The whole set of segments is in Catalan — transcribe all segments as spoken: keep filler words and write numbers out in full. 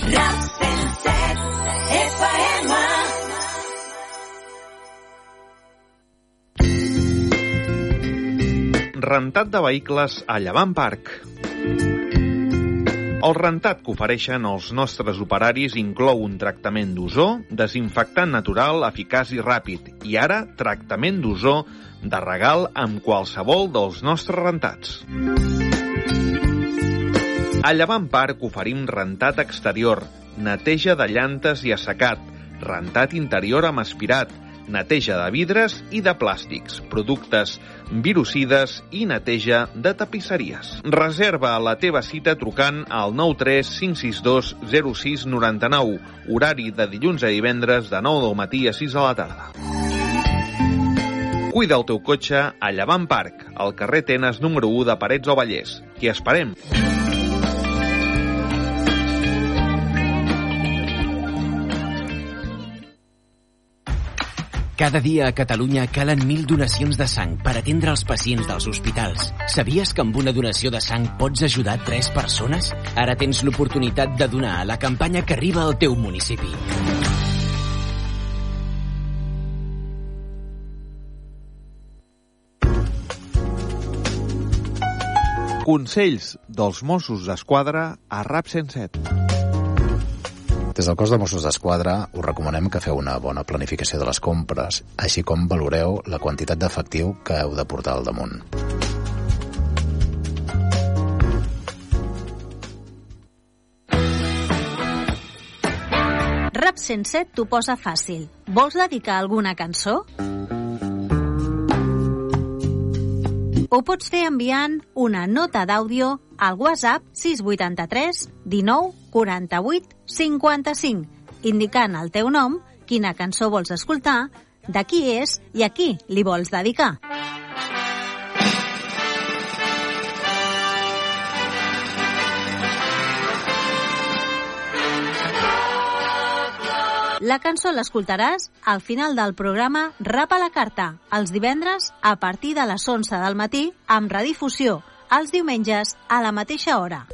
Rap cent set F M. Rentat de vehicles a Llevant Parc. El rentat que ofereixen els nostres operaris inclou un tractament d'ozó, desinfectant natural, eficaç i ràpid, i ara tractament d'ozó de regal amb qualsevol dels nostres rentats. A Llevant Parc oferim rentat exterior, neteja de llantes i assecat, rentat interior amb aspirat, neteja de vidres i de plàstics, productes virucides i neteja de tapisseries. Reserva la teva cita trucant al nou tres cinc sis dos zero sis nou nou, horari de dilluns a divendres de nou del matí a sis de la tarda. Cuida el teu cotxe a Llevant Parc, al carrer Tenes número u de Parets del Vallès. T'hi esperem! Cada dia a Catalunya calen mil donacions de sang per atendre els pacients dels hospitals. Sabies que amb una donació de sang pots ajudar tres persones? Ara tens l'oportunitat de donar a la campanya que arriba al teu municipi. Consells dels Mossos d'Esquadra a Rap cent set. Des del cos de Mossos d'Esquadra us recomanem que feu una bona planificació de les compres, així com valoreu la quantitat d'efectiu que heu de portar al damunt. Rap cent set t'ho posa fàcil. Vols dedicar alguna cançó? Ho pots fer enviant una nota d'àudio al WhatsApp sis vuit tres dinou quaranta-vuit cinquanta-cinc, indicant el teu nom, quina cançó vols escoltar, de qui és i a qui li vols dedicar. La cançó l'escoltaràs al final del programa Rap a la Carta, els divendres a partir de les onze del matí, amb redifusió els diumenges a la mateixa hora.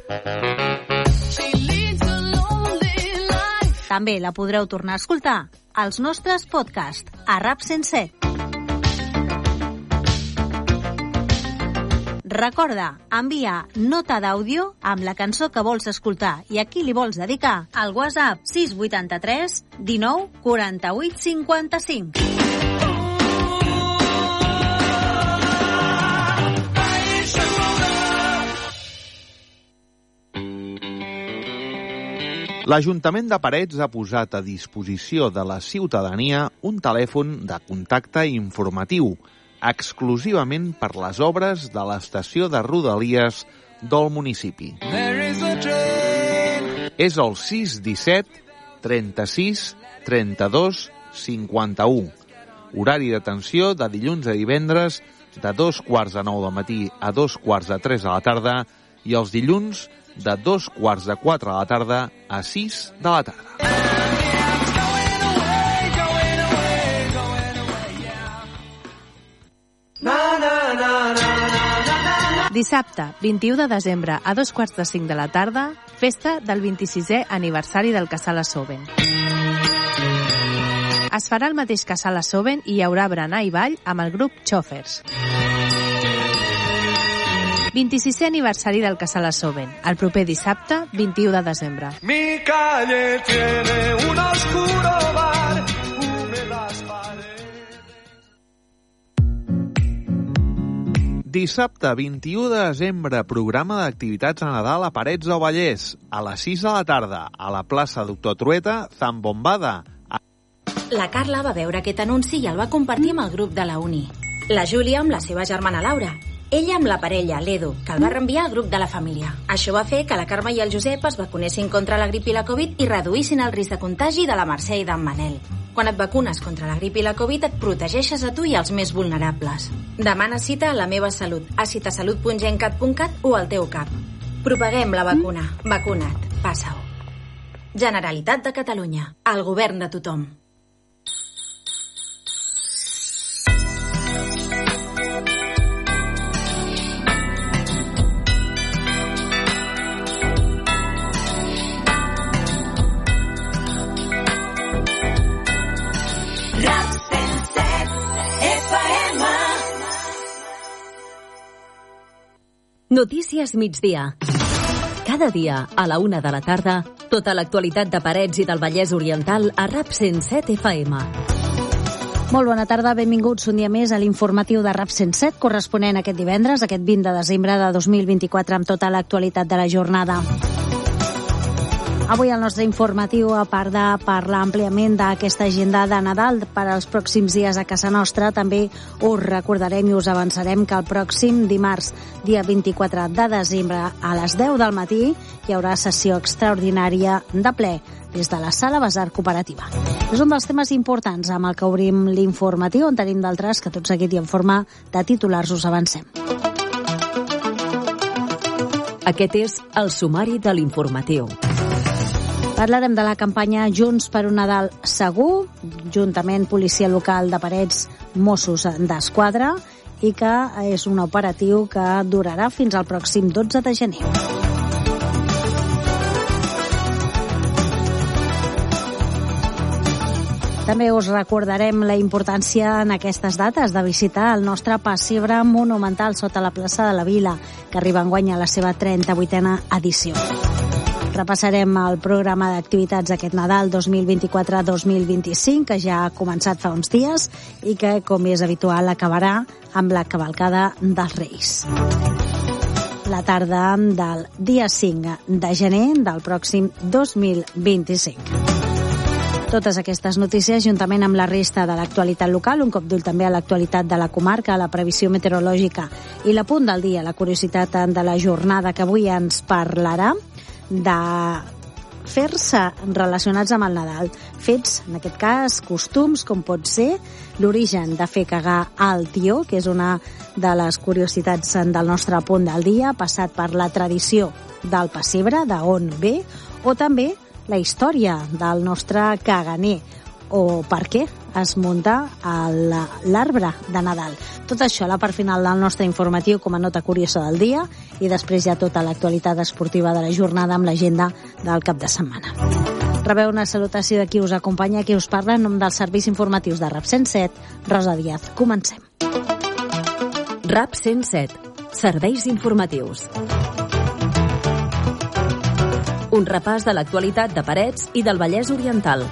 També la podreu tornar a escoltar als nostres podcasts a Rap cent set. Recorda, envia nota d'àudio amb la cançó que vols escoltar i a qui li vols dedicar al WhatsApp sis vuit tres dinou quaranta-vuit cinquanta-cinc. L'Ajuntament de Parets ha posat a disposició de la ciutadania un telèfon de contacte informatiu exclusivament per les obres de l'estació de Rodalies del municipi. És el sis disset trenta-sis trenta-dos cinquanta-u. Horari d'atenció de dilluns a divendres de dos quarts de nou del matí a dos quarts de tres de la tarda i els dilluns de dos quarts de quatre de la tarda a sis de la tarda. Dissabte, vint-i-u de desembre, a dos quarts de cinc de la tarda, festa del vint-i-sisè aniversari del Casal Assoven. Es farà el mateix Casal Assoven i hi haurà berenar i ball amb el grup Chofers. vint-i-sisè aniversari del Casal Assoven, el proper dissabte, vint-i-u de desembre. Mi calle tiene un oscuro bar, húmedas paredes. Dissabte, vint-i-u de desembre, programa d'activitats a Nadal a Parets del Vallès, a les sis de la tarda, a la plaça Doctor Trueta, Zambombada. La Carla va veure aquest anunci i el va compartir amb el grup de la uni. La Júlia amb la seva germana Laura. Ella amb la parella, l'Edu, que el va reenviar al grup de la família. Això va fer que la Carme i el Josep es vacunessin contra la grip i la Covid i reduïssin el risc de contagi de la Mercè i d'en Manel. Quan et vacunes contra la grip i la Covid et protegeixes a tu i als més vulnerables. Demana cita a La Meva Salut, a citasalut punt gencat punt cat o al teu cap. Propaguem la vacuna. Vacuna't. Passa-ho. Generalitat de Catalunya. El govern de tothom. Notícies migdia. Cada dia, a la una de la tarda, tota l'actualitat de Parets i del Vallès Oriental a RAP cent set F M. Molt bona tarda, benvinguts un dia més a l'informatiu de RAP cent set, corresponent aquest divendres, aquest vint de desembre de dos mil vint-i-quatre, amb tota l'actualitat de la jornada. Avui el nostre informatiu, a part de parlar àmpliament d'aquesta agenda de Nadal per als pròxims dies a casa nostra, també us recordarem i us avançarem que el pròxim dimarts, dia vint-i-quatre de desembre, a les deu del matí, hi haurà sessió extraordinària de ple des de la Sala Basar Cooperativa. És un dels temes importants amb el que obrim l'informatiu, on tenim d'altres que tot seguit i en forma de titulars us avancem. Aquest és el sumari de l'informatiu. Parlarem de la campanya Junts per un Nadal segur, juntament Policia Local de Parets, Mossos d'Esquadra, i que és un operatiu que durarà fins al pròxim dotze de gener. També us recordarem la importància en aquestes dates de visitar el nostre pessebre monumental sota la plaça de la Vila, que arriba enguany a la seva trenta-vuitena edició. Repassarem el programa d'activitats aquest Nadal dos mil vint-i-quatre dos mil vint-i-cinc, que ja ha començat fa uns dies i que, com és habitual, acabarà amb la cavalcada dels Reis. La tarda del dia cinc de gener del pròxim dos mil vint-i-cinc. Totes aquestes notícies, juntament amb la resta de l'actualitat local, un cop d'ull també a l'actualitat de la comarca, la previsió meteorològica i la punt del dia, la curiositat de la jornada que avui ens parlarà de fer-se relacionats amb el Nadal. Fets, en aquest cas, costums, com pot ser l'origen de fer cagar al tió, que és una de les curiositats del nostre punt del dia, passat per la tradició del pessebre, d'on ve, o també la història del nostre caganer, o per què es munta l'arbre de Nadal. Tot això a la part final del nostre informatiu com a nota curiosa del dia, i després ja tota l'actualitat esportiva de la jornada amb l'agenda del cap de setmana. Rebeu una salutació de qui us acompanya, qui us parla en nom dels serveis informatius de RAP cent set, Rosa Díaz. Comencem. RAP cent set, serveis informatius. Un repàs de l'actualitat de Parets i del Vallès Oriental.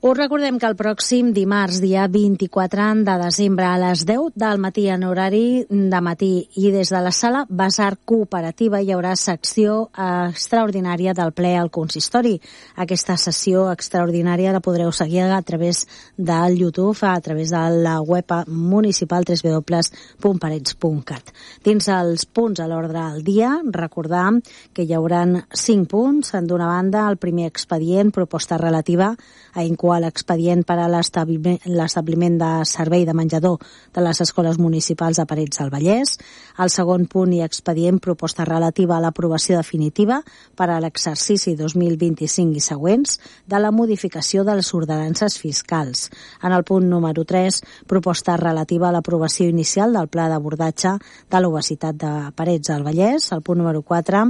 Us recordem que el pròxim dimarts, dia vint-i-quatre de desembre, a les deu del matí, en horari de matí, i des de la Sala Basar Cooperativa hi haurà secció extraordinària del ple al consistori. Aquesta sessió extraordinària la podreu seguir a través del YouTube, a través de la web municipal w w w punt parets punt cat. Dins els punts a l'ordre del dia, recordar que hi haurà cinc punts. D'una banda, el primer expedient, proposta relativa a incoar l'expedient per a l'establiment de servei de menjador de les escoles municipals de Parets del Vallès. El segon punt i expedient, proposta relativa a l'aprovació definitiva per a l'exercici dos mil vint-i-cinc i següents de la modificació de les ordenances fiscals. En el punt número tres, proposta relativa a l'aprovació inicial del pla d'abordatge de l'obesitat de Parets del Vallès. El punt número quatre,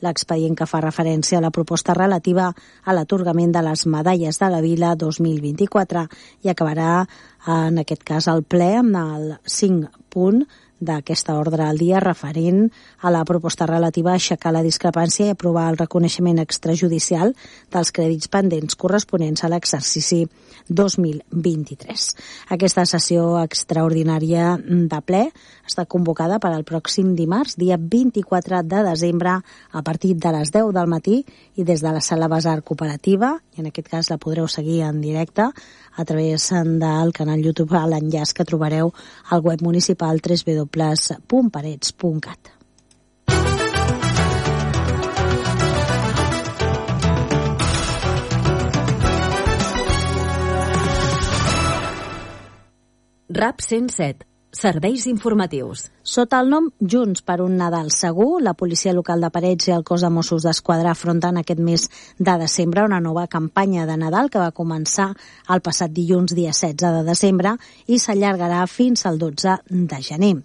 l'expedient que fa referència a la proposta relativa a l'atorgament de les medalles de la Vila dos mil vint-i-quatre, i acabarà en aquest cas el ple amb el cinc punt d'aquesta ordre al dia referent a la proposta relativa a aixecar la discrepància i aprovar el reconeixement extrajudicial dels crèdits pendents corresponents a l'exercici dos mil vint-i-tres. Aquesta sessió extraordinària de ple està convocada per al pròxim dimarts, dia vint-i-quatre de desembre, a partir de les deu del matí, i des de la Sala Basar Cooperativa, i en aquest cas la podreu seguir en directe a través del canal YouTube, a l'enllaç que trobareu al web municipal w w w punt parets punt cat. RAP cent set, serveis informatius. Sota el nom Junts per un Nadal segur, la policia local de Parets i el cos de Mossos d'Esquadra afronten aquest mes de desembre una nova campanya de Nadal que va començar el passat dilluns dia setze de desembre i s'allargarà fins al dotze de gener.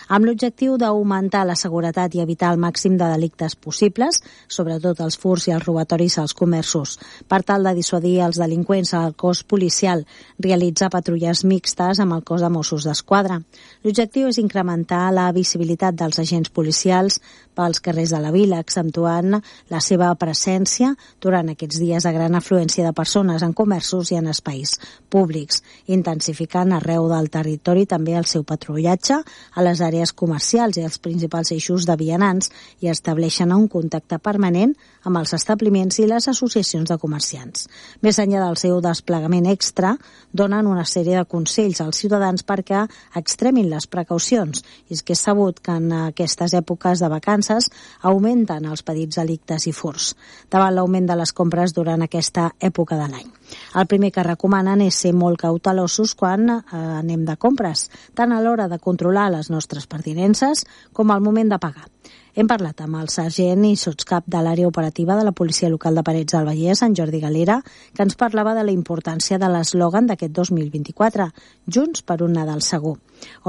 Amb l'objectiu d'augmentar la seguretat i evitar el màxim de delictes possibles, sobretot els furts i els robatoris als comerços. Per tal de dissuadir els delinqüents, el cos policial realitza patrulles mixtes amb el cos de Mossos d'Esquadra. L'objectiu és incrementar la visibilitat dels agents policials pels carrers de la vila, accentuant la seva presència durant aquests dies de gran afluència de persones en comerços i en espais públics, intensificant arreu del territori també el seu patrullatge a les àrees comercials i els principals eixos de vianants i estableixen un contacte permanent amb els establiments i les associacions de comerciants. Més enllà del seu desplegament extra, donen una sèrie de consells als ciutadans perquè extremin les precaucions. I és que és sabut que en aquestes èpoques de vacances augmenten els petits delictes i furts, davant l'augment de les compres durant aquesta època de l'any. El primer que recomanen és ser molt cautelosos quan eh, anem de compres, tant a l'hora de controlar les nostres pertinences com al moment de pagar. Hem parlat amb el sergent i sotscap de l'àrea operativa de la policia local de Parets del Vallès, en Jordi Galera, que ens parlava de la importància de l'eslògan d'aquest dos mil vint-i-quatre, Junts per un Nadal segur,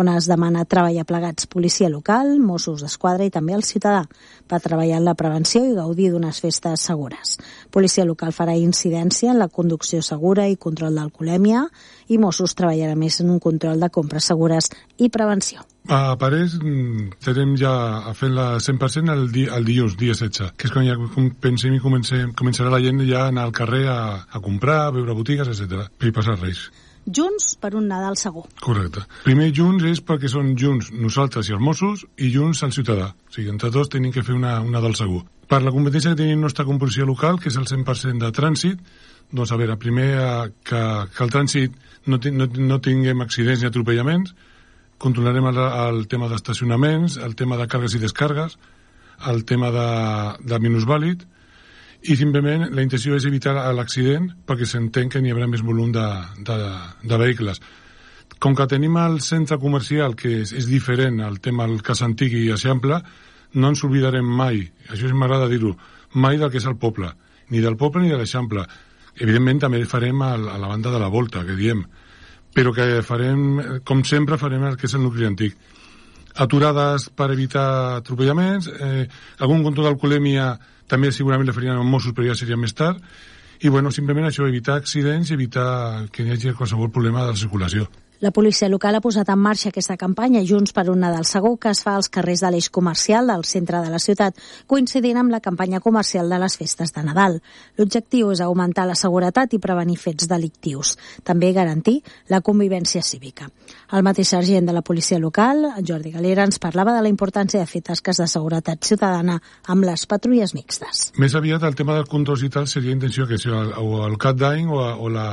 on es demana treballar plegats policia local, Mossos d'Esquadra i també el ciutadà per treballar en la prevenció i gaudir d'unes festes segures. Policia local farà incidència en la conducció segura i control d'alcoholèmia i Mossos treballarà més en un control de compres segures i prevenció. A Parets estarem ja fent la cent per cent el, di, el dilluns, dia setze, que és quan ja pensem i comencem, començarà la gent ja a anar al carrer a, a comprar, a veure botigues, etcètera, per passar Reis. Junts per un Nadal segur. Correcte. Primer Junts és perquè són Junts nosaltres i els Mossos i Junts el ciutadà. O sigui, entre tots tenim que fer una, un Nadal segur. Per la competència que tenim nostra composició local, que és el cent per cent de trànsit, doncs a veure, primer que, que el trànsit no, no, no tinguem accidents ni atropellaments, controlarem el, el tema d'estacionaments, el tema de càrregues i descàrregues, el tema de, de minusvàlid, i simplement la intenció és evitar l'accident perquè s'entén que n'hi haurà més volum de, de, de vehicles. Com que tenim el centre comercial, que és, és diferent al tema del cas antic i Eixample, no ens oblidarem mai, això m'agrada dir-ho, mai del que és el poble, ni del poble ni de l'Eixample. Evidentment també farem a, a la banda de la volta, que diem, però que farem, com sempre, farem el que és el nucli antic. Aturades per evitar atropellaments, eh, algun control d'alcoholèmia també segurament le farien als Mossos, però ja seria més tard, i bueno, simplement això, evitar accidents i evitar que hi hagi qualsevol problema de la circulació. La policia local ha posat en marxa aquesta campanya Junts per un Nadal segur que es fa als carrers de l'eix comercial del centre de la ciutat, coincidint amb la campanya comercial de les festes de Nadal. L'objectiu és augmentar la seguretat i prevenir fets delictius, també garantir la convivència cívica. El mateix sergent de la policia local, Jordi Galera, ens parlava de la importància de fer tasques de seguretat ciutadana amb les patrulles mixtes. Més aviat el tema dels controls i tal seria intenció que sigui el, o el cap d'any o, o la,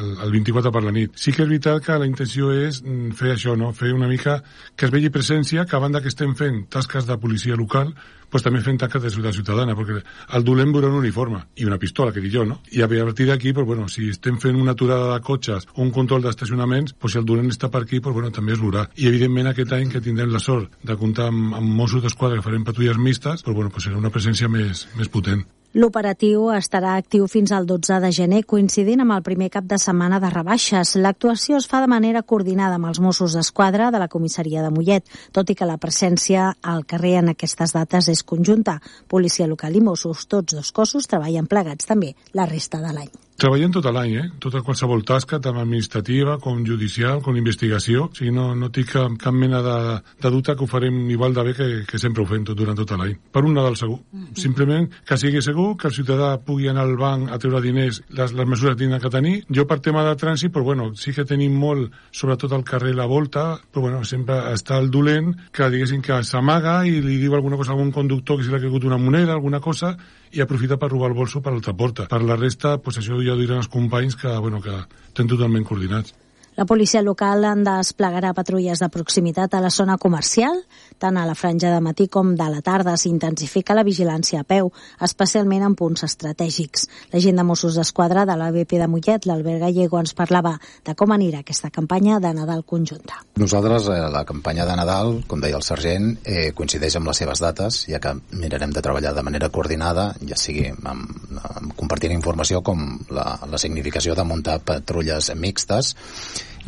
el, el vint-i-quatre per la nit. Sí que és veritat que la intenció és fer això, no? Fer una mica que es vegi presència, que a banda que estem fent tasques de policia local, pues també fent tasques de ciutat ciutadana, perquè el dolent veurà un uniforme i una pistola, que dic jo, no? I a partir d'aquí, pues, bueno, si estem fent una aturada de cotxes o un control d'estacionaments, pues, si el dolent està per aquí, pues, bueno, també es veurà. I evidentment aquest any que tindrem la sort de comptar amb, amb Mossos d'Esquadra que farem patrulles mixtes, pues, bueno, pues, serà una presència més, més potent. L'operatiu estarà actiu fins al dotze de gener, coincidint amb el primer cap de setmana de rebaixes. L'actuació es fa de manera coordinada amb els Mossos d'Esquadra de la comissaria de Mollet, tot i que la presència al carrer en aquestes dates és conjunta. Policia local i Mossos, tots dos cossos, treballen plegats també la resta de l'any. Treballem tot l'any, eh? Tota qualsevol tasca, tant administrativa com judicial, com investigació. O sigui, no, no tinc cap, cap mena de, de dubte que ho farem igual de bé que, que sempre ho fem tot, durant tot l'any. Per un Nadal segur. Mm-hmm. Simplement que sigui segur, que el ciutadà pugui anar al banc a treure diners, les, les mesures que tenen que tenir. Jo per tema de trànsit, però bueno, sí que tenim molt, sobretot al carrer La Volta, però bueno, sempre està el dolent que diguéssim que s'amaga i li diu alguna cosa a algun conductor que se li ha caigut una moneda, alguna cosa, i aprofita per robar el bolso per l'altra porta. Per la resta, pues això ja ho diran els companys que, bueno, que estem totalment coordinats. La policia local en desplegarà patrulles de proximitat a la zona comercial. Tant a la franja de matí com de la tarda s'intensifica la vigilància a peu, especialment en punts estratègics. L'agent de Mossos d'Esquadra de l'A B P de Mollet, l'Albert Gallego, ens parlava de com anirà aquesta campanya de Nadal conjunta. Nosaltres, eh, la campanya de Nadal, com deia el sergent, eh, coincideix amb les seves dates, ja que mirarem de treballar de manera coordinada, ja sigui amb, amb compartint informació com la, la significació de muntar patrulles mixtes,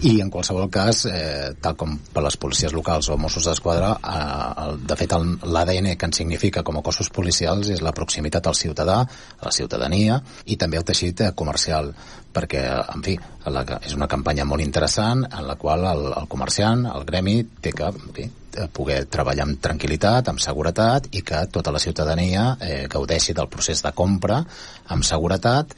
i en qualsevol cas, eh, tal com per les policies locals o Mossos d'Esquadra, eh, de fet l'A D N que ens significa com a cossos policials és la proximitat al ciutadà, a la ciutadania, i també al teixit comercial, perquè, en fi, la, és una campanya molt interessant en la qual el, el comerciant, el gremi, té que, en fi, poder treballar amb tranquil·litat, amb seguretat, i que tota la ciutadania eh, gaudeixi del procés de compra amb seguretat,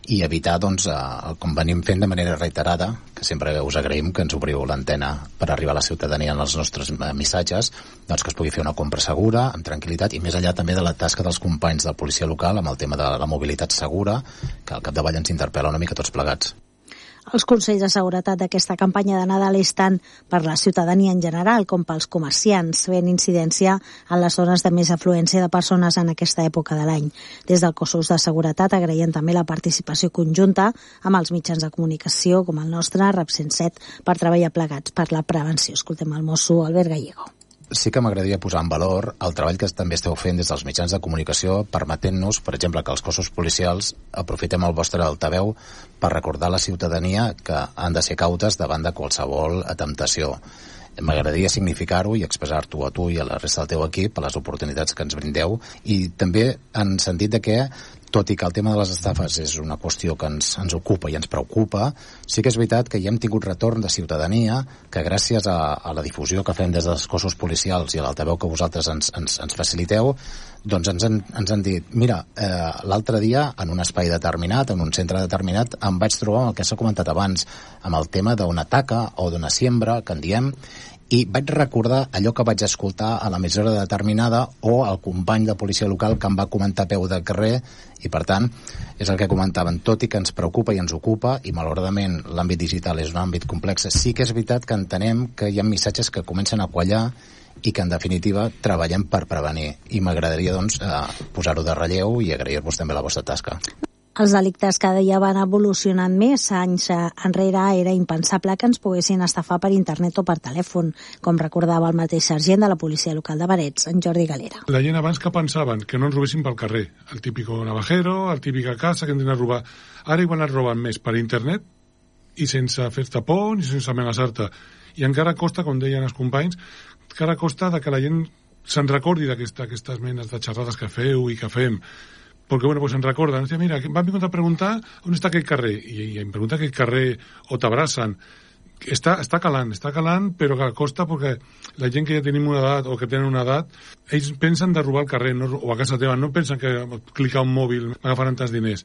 i evitar, doncs, eh, com venim fent de manera reiterada, que sempre us agraïm que ens obriu l'antena per arribar a la ciutadania en els nostres missatges, doncs que es pugui fer una compra segura, amb tranquil·litat, i més enllà també de la tasca dels companys de policia local amb el tema de la mobilitat segura, que al capdavall ens interpel·la una mica tots plegats. Els consells de seguretat d'aquesta campanya de Nadal és tant per la ciutadania en general com pels comerciants, fent incidència en les zones de més afluència de persones en aquesta època de l'any. Des del Cossos de Seguretat agraïen també la participació conjunta amb els mitjans de comunicació com el nostre, RAP cent set, per treballar plegats per la prevenció. Escoltem el mosso Albert Gallego. Sí que m'agradaria posar en valor el treball que també esteu fent des dels mitjans de comunicació, permetent-nos, per exemple, que els cossos policials aprofitem el vostre altaveu per recordar a la ciutadania que han de ser cautes davant de qualsevol temptació. M'agradaria significar-ho i expressar-t'ho a tu i a la resta del teu equip a les oportunitats que ens brindeu, i també en sentit de que, tot i que el tema de les estafes és una qüestió que ens, ens ocupa i ens preocupa, sí que és veritat que ja hem tingut retorn de ciutadania que gràcies a, a la difusió que fem des dels cossos policials i a l'altaveu que vosaltres ens, ens, ens faciliteu, doncs ens han, ens han dit, mira, eh, l'altre dia en un espai determinat, en un centre determinat, em vaig trobar amb el que s'ha comentat abans, amb el tema d'una taca o d'una siembra, que en diem, i vaig recordar allò que vaig escoltar a l'emissora determinada o al company de policia local que em va comentar a peu de carrer, i per tant és el que comentaven, tot i que ens preocupa i ens ocupa, i malauradament l'àmbit digital és un àmbit complex, sí que és veritat que entenem que hi ha missatges que comencen a quallar i que en definitiva treballem per prevenir, i m'agradaria doncs eh, posar-ho de relleu i agrair-vos també la vostra tasca. Els delictes cada dia van evolucionant més. Anys enrere era impensable que ens poguessin estafar per internet o per telèfon, com recordava el mateix sergent de la policia local de Parets, en Jordi Galera. La gent abans que pensaven que no ens robessin pel carrer, el típico navajero, el típica casa que ens anen a robar. Ara igual ens roben més per internet i sense fer-te por ni sense amenaçar-te. I encara costa, com deien els companys, encara costa de que la gent se'n recordi d'aquestes menes de xerrades que feu i que fem. Perquè, bueno, pues se'n recorden. Mira, m'han vingut a preguntar on està aquell carrer. I, i em pregunta aquell carrer o t'abracen. Està, està calant, està calant, però que costa perquè la gent que ja tenim una edat o que tenen una edat, ells pensen de robar al carrer no, o a casa teva, no pensen que clicar un mòbil m'agafaran tants diners.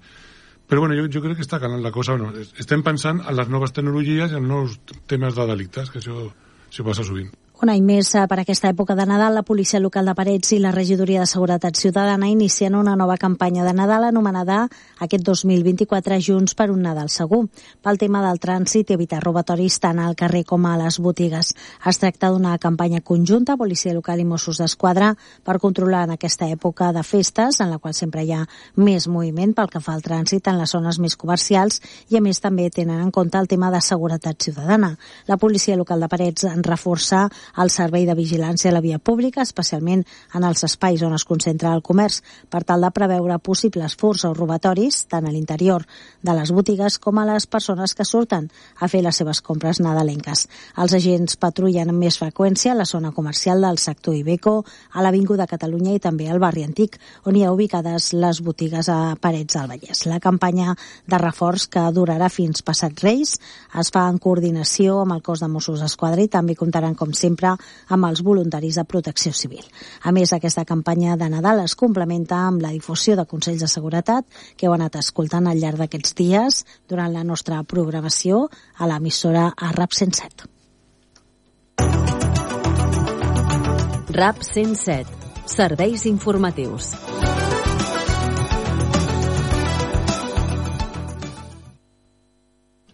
Però bueno, jo, jo crec que està calant la cosa. Bueno, estem pensant en les noves tecnologies i en nous temes de delictes, que això, això passa sovint. Un any més per aquesta època de Nadal, la policia local de Parets i la regidoria de Seguretat Ciutadana inicien una nova campanya de Nadal anomenada aquest dos mil vint-i-quatre Junts per un Nadal segur, pel tema del trànsit i evitar robatoris tant al carrer com a les botigues. Es tracta d'una campanya conjunta, policia local i Mossos d'Esquadra, per controlar en aquesta època de festes, en la qual sempre hi ha més moviment pel que fa al trànsit en les zones més comercials, i a més també tenen en compte el tema de seguretat ciutadana. La policia local de Parets en reforça el servei de vigilància a la via pública, especialment en els espais on es concentra el comerç, per tal de preveure possibles furts o robatoris, tant a l'interior de les botigues com a les persones que surten a fer les seves compres nadalenques. Els agents patrullen amb més freqüència a la zona comercial del sector Ibeco, a l'Avinguda Catalunya i també al barri Antic, on hi ha ubicades les botigues a Parets del Vallès. La campanya de reforç, que durarà fins passat Reis, es fa en coordinació amb el cos de Mossos d'Esquadra i també comptaran, com sempre, amb els voluntaris de protecció civil. A més, aquesta campanya de Nadal es complementa amb la difusió de consells de seguretat que heu anat escoltant al llarg d'aquests dies durant la nostra programació a l'emissora a RAP cent set. RAP cent set. Serveis informatius.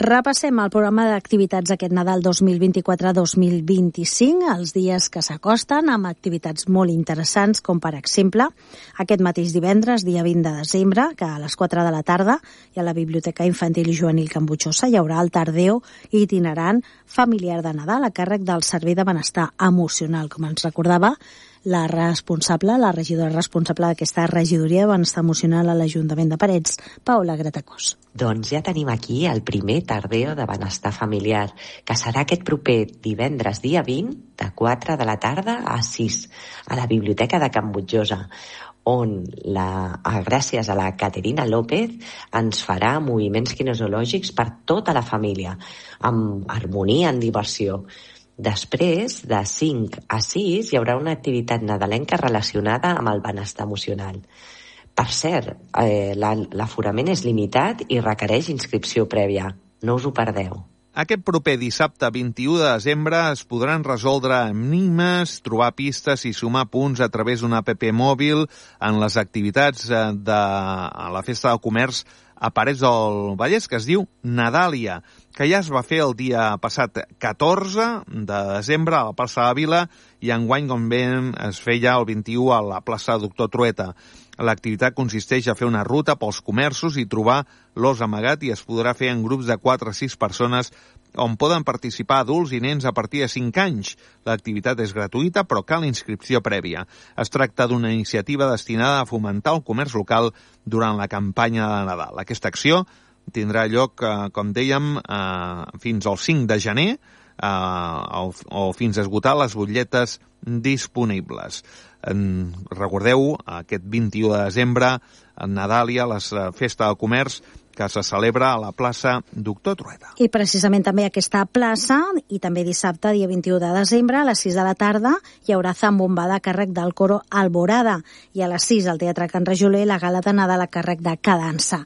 Repassem el programa d'activitats aquest Nadal dos mil vint-i-quatre dos mil vint-i-cinc, els dies que s'acosten, amb activitats molt interessants, com per exemple, aquest mateix divendres, dia vint de desembre, que a les quatre de la tarda, i a la Biblioteca Infantil i Juvenil Can Butxosa hi haurà el tardeo itinerant familiar de Nadal a càrrec del Servei de Benestar Emocional, com ens recordava la responsable, la regidora responsable d'aquesta regidoria de benestar emocional a l'Ajuntament de Parets, Paula Gratacós. Doncs ja tenim aquí el primer tardeo de benestar familiar, que serà aquest proper divendres, dia vint, de quatre de la tarda a sis, a la Biblioteca de Can Butxosa, on, la, gràcies a la Caterina López, ens farà moviments kinesiològics per tota la família, amb harmonia, en diversió. Després, de cinc a sis, hi haurà una activitat nadalenca relacionada amb el benestar emocional. Per cert, eh, l'aforament és limitat i requereix inscripció prèvia. No us ho perdeu. Aquest proper dissabte vint-i-u de desembre es podran resoldre enigmes, trobar pistes i sumar punts a través d'una app mòbil en les activitats de la Festa del Comerç a Parets del Vallès, que es diu Nadàlia, que ja es va fer el dia passat catorze de desembre a la plaça de la Vila i enguany, com bé, es feia el vint-i-u a la plaça Doctor Trueta. L'activitat consisteix a fer una ruta pels comerços i trobar l'os amagat i es podrà fer en grups de quatre a sis persones on poden participar adults i nens a partir de cinc anys. L'activitat és gratuïta, però cal inscripció prèvia. Es tracta d'una iniciativa destinada a fomentar el comerç local durant la campanya de Nadal. Aquesta acció tindrà lloc, eh, com dèiem, eh, fins al cinc de gener, eh, o, o fins a esgotar les butlletes disponibles. En, recordeu, aquest vint-i-u de desembre, a Nadàlia, la Festa del Comerç, que se celebra a la plaça Doctor Trueta. I precisament també aquesta plaça, i també dissabte, dia vint-i-u de desembre, a les sis de la tarda, hi haurà zambombada a càrrec del coro Alborada, i a les sis al Teatre Can Rajoler la gala de Nadal a càrrec de Cadansa.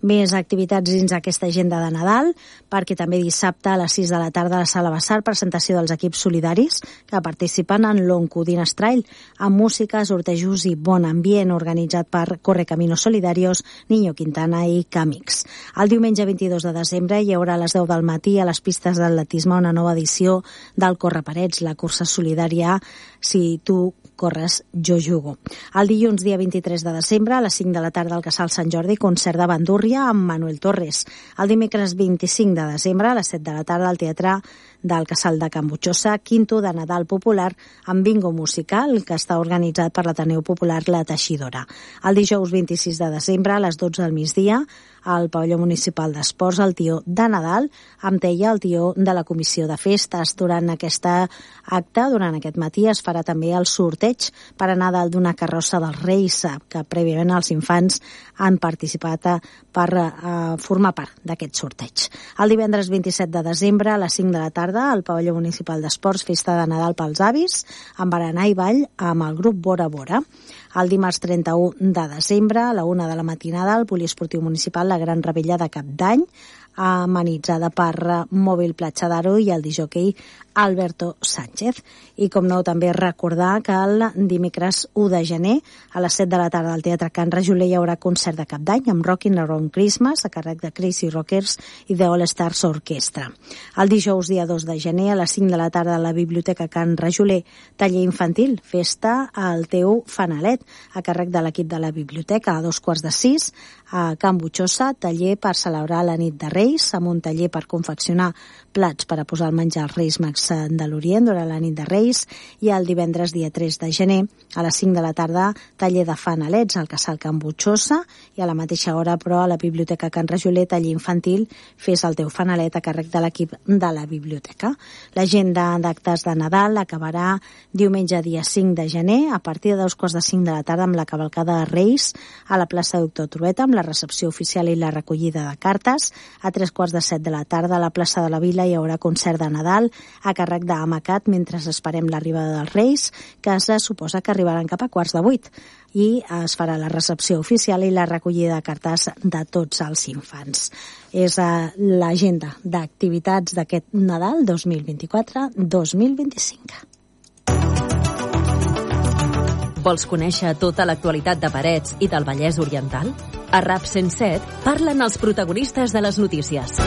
Més activitats dins aquesta agenda de Nadal, perquè també dissabte a les sis de la tarda a la Sala Bassar, presentació dels equips solidaris que participen en l'Oncodines Trail, amb música, sortejos i bon ambient, organitzat per Correcaminos Solidarios, Niño Quintana i Camix. El diumenge vint-i-dos de desembre hi haurà a les deu del matí a les pistes d'atletisme una nova edició del Corre Parets, la cursa solidària Si tu corres, jo jugo. El dilluns, dia vint-i-tres de desembre, a les cinc de la tarda al Casal Sant Jordi, concert de bandúrria amb Manuel Torres. El dimecres vint-i-cinc de desembre, a les set de la tarda, al Teatre del Casal de Can Butxosa, quinto de Nadal popular amb bingo musical, que està organitzat per l'Ateneu Popular La Teixidora. El dijous vint-i-sis de desembre, a les dotze del migdia, al Pavelló Municipal d'Esports, el tió de Nadal, amb teia el tió de la Comissió de Festes. Durant aquest acte, durant aquest matí, es farà també el sorteig per anar dalt d'una carrossa dels Reis, que prèviament els infants han participat per uh, formar part d'aquest sorteig. El divendres vint-i-set de desembre, a les cinc de la tarda, al Pavelló Municipal d'Esports, festa de Nadal pels avis, amb berenar i ball amb el grup Bora Bora. El dimarts trenta-u de desembre, a la una de la matinada, al Poliesportiu Municipal, la Gran Rebella de Cap d'Any, amenitzada per Mòbil Platja d'Aro i el disjoquei Alberto Sánchez. I com no, també recordar que el dimecres u de gener a les set de la tarda al Teatre Can Rajoler hi haurà concert de Cap d'Any amb Rockin' Around Christmas a càrrec de Crazy Rockers i de All Stars Orquestra. El dijous, dia dos de gener, a les cinc de la tarda a la Biblioteca Can Rajoler, taller infantil, festa al teu fanalet a càrrec de l'equip de la biblioteca. A dos quarts de sis a Can Butxosa, taller per celebrar la nit de Reis, amb un taller per confeccionar plats per a posar el menjar als Reis Mags de l'Orient durant la nit de Reis. I el divendres, dia tres de gener, a les cinc de la tarda, taller de fanalets al Casal Can Butxosa, i a la mateixa hora, però, a la Biblioteca Can Rajoler, taller infantil, fes el teu fanalet a càrrec de l'equip de la biblioteca. L'agenda d'actes de Nadal acabarà diumenge, dia cinc de gener, a partir de dos quarts de cinc de la tarda, amb la cavalcada de Reis a la plaça Doctor Trueta, amb la recepció oficial i la recollida de cartes. A tres quarts de set de la tarda, a la plaça de la Vila, hi haurà concert de Nadal a càrrec d'Amacat mentre esperem l'arribada dels Reis, que es suposa que arribaran cap a quarts de vuit, i es farà la recepció oficial i la recollida de cartes de tots els infants. És uh, l'agenda d'activitats d'aquest Nadal dos mil vint-i-quatre dos mil vint-i-cinc. Vols conèixer tota l'actualitat de Parets i del Vallès Oriental? A RAP cent set parlen els protagonistes de les notícies.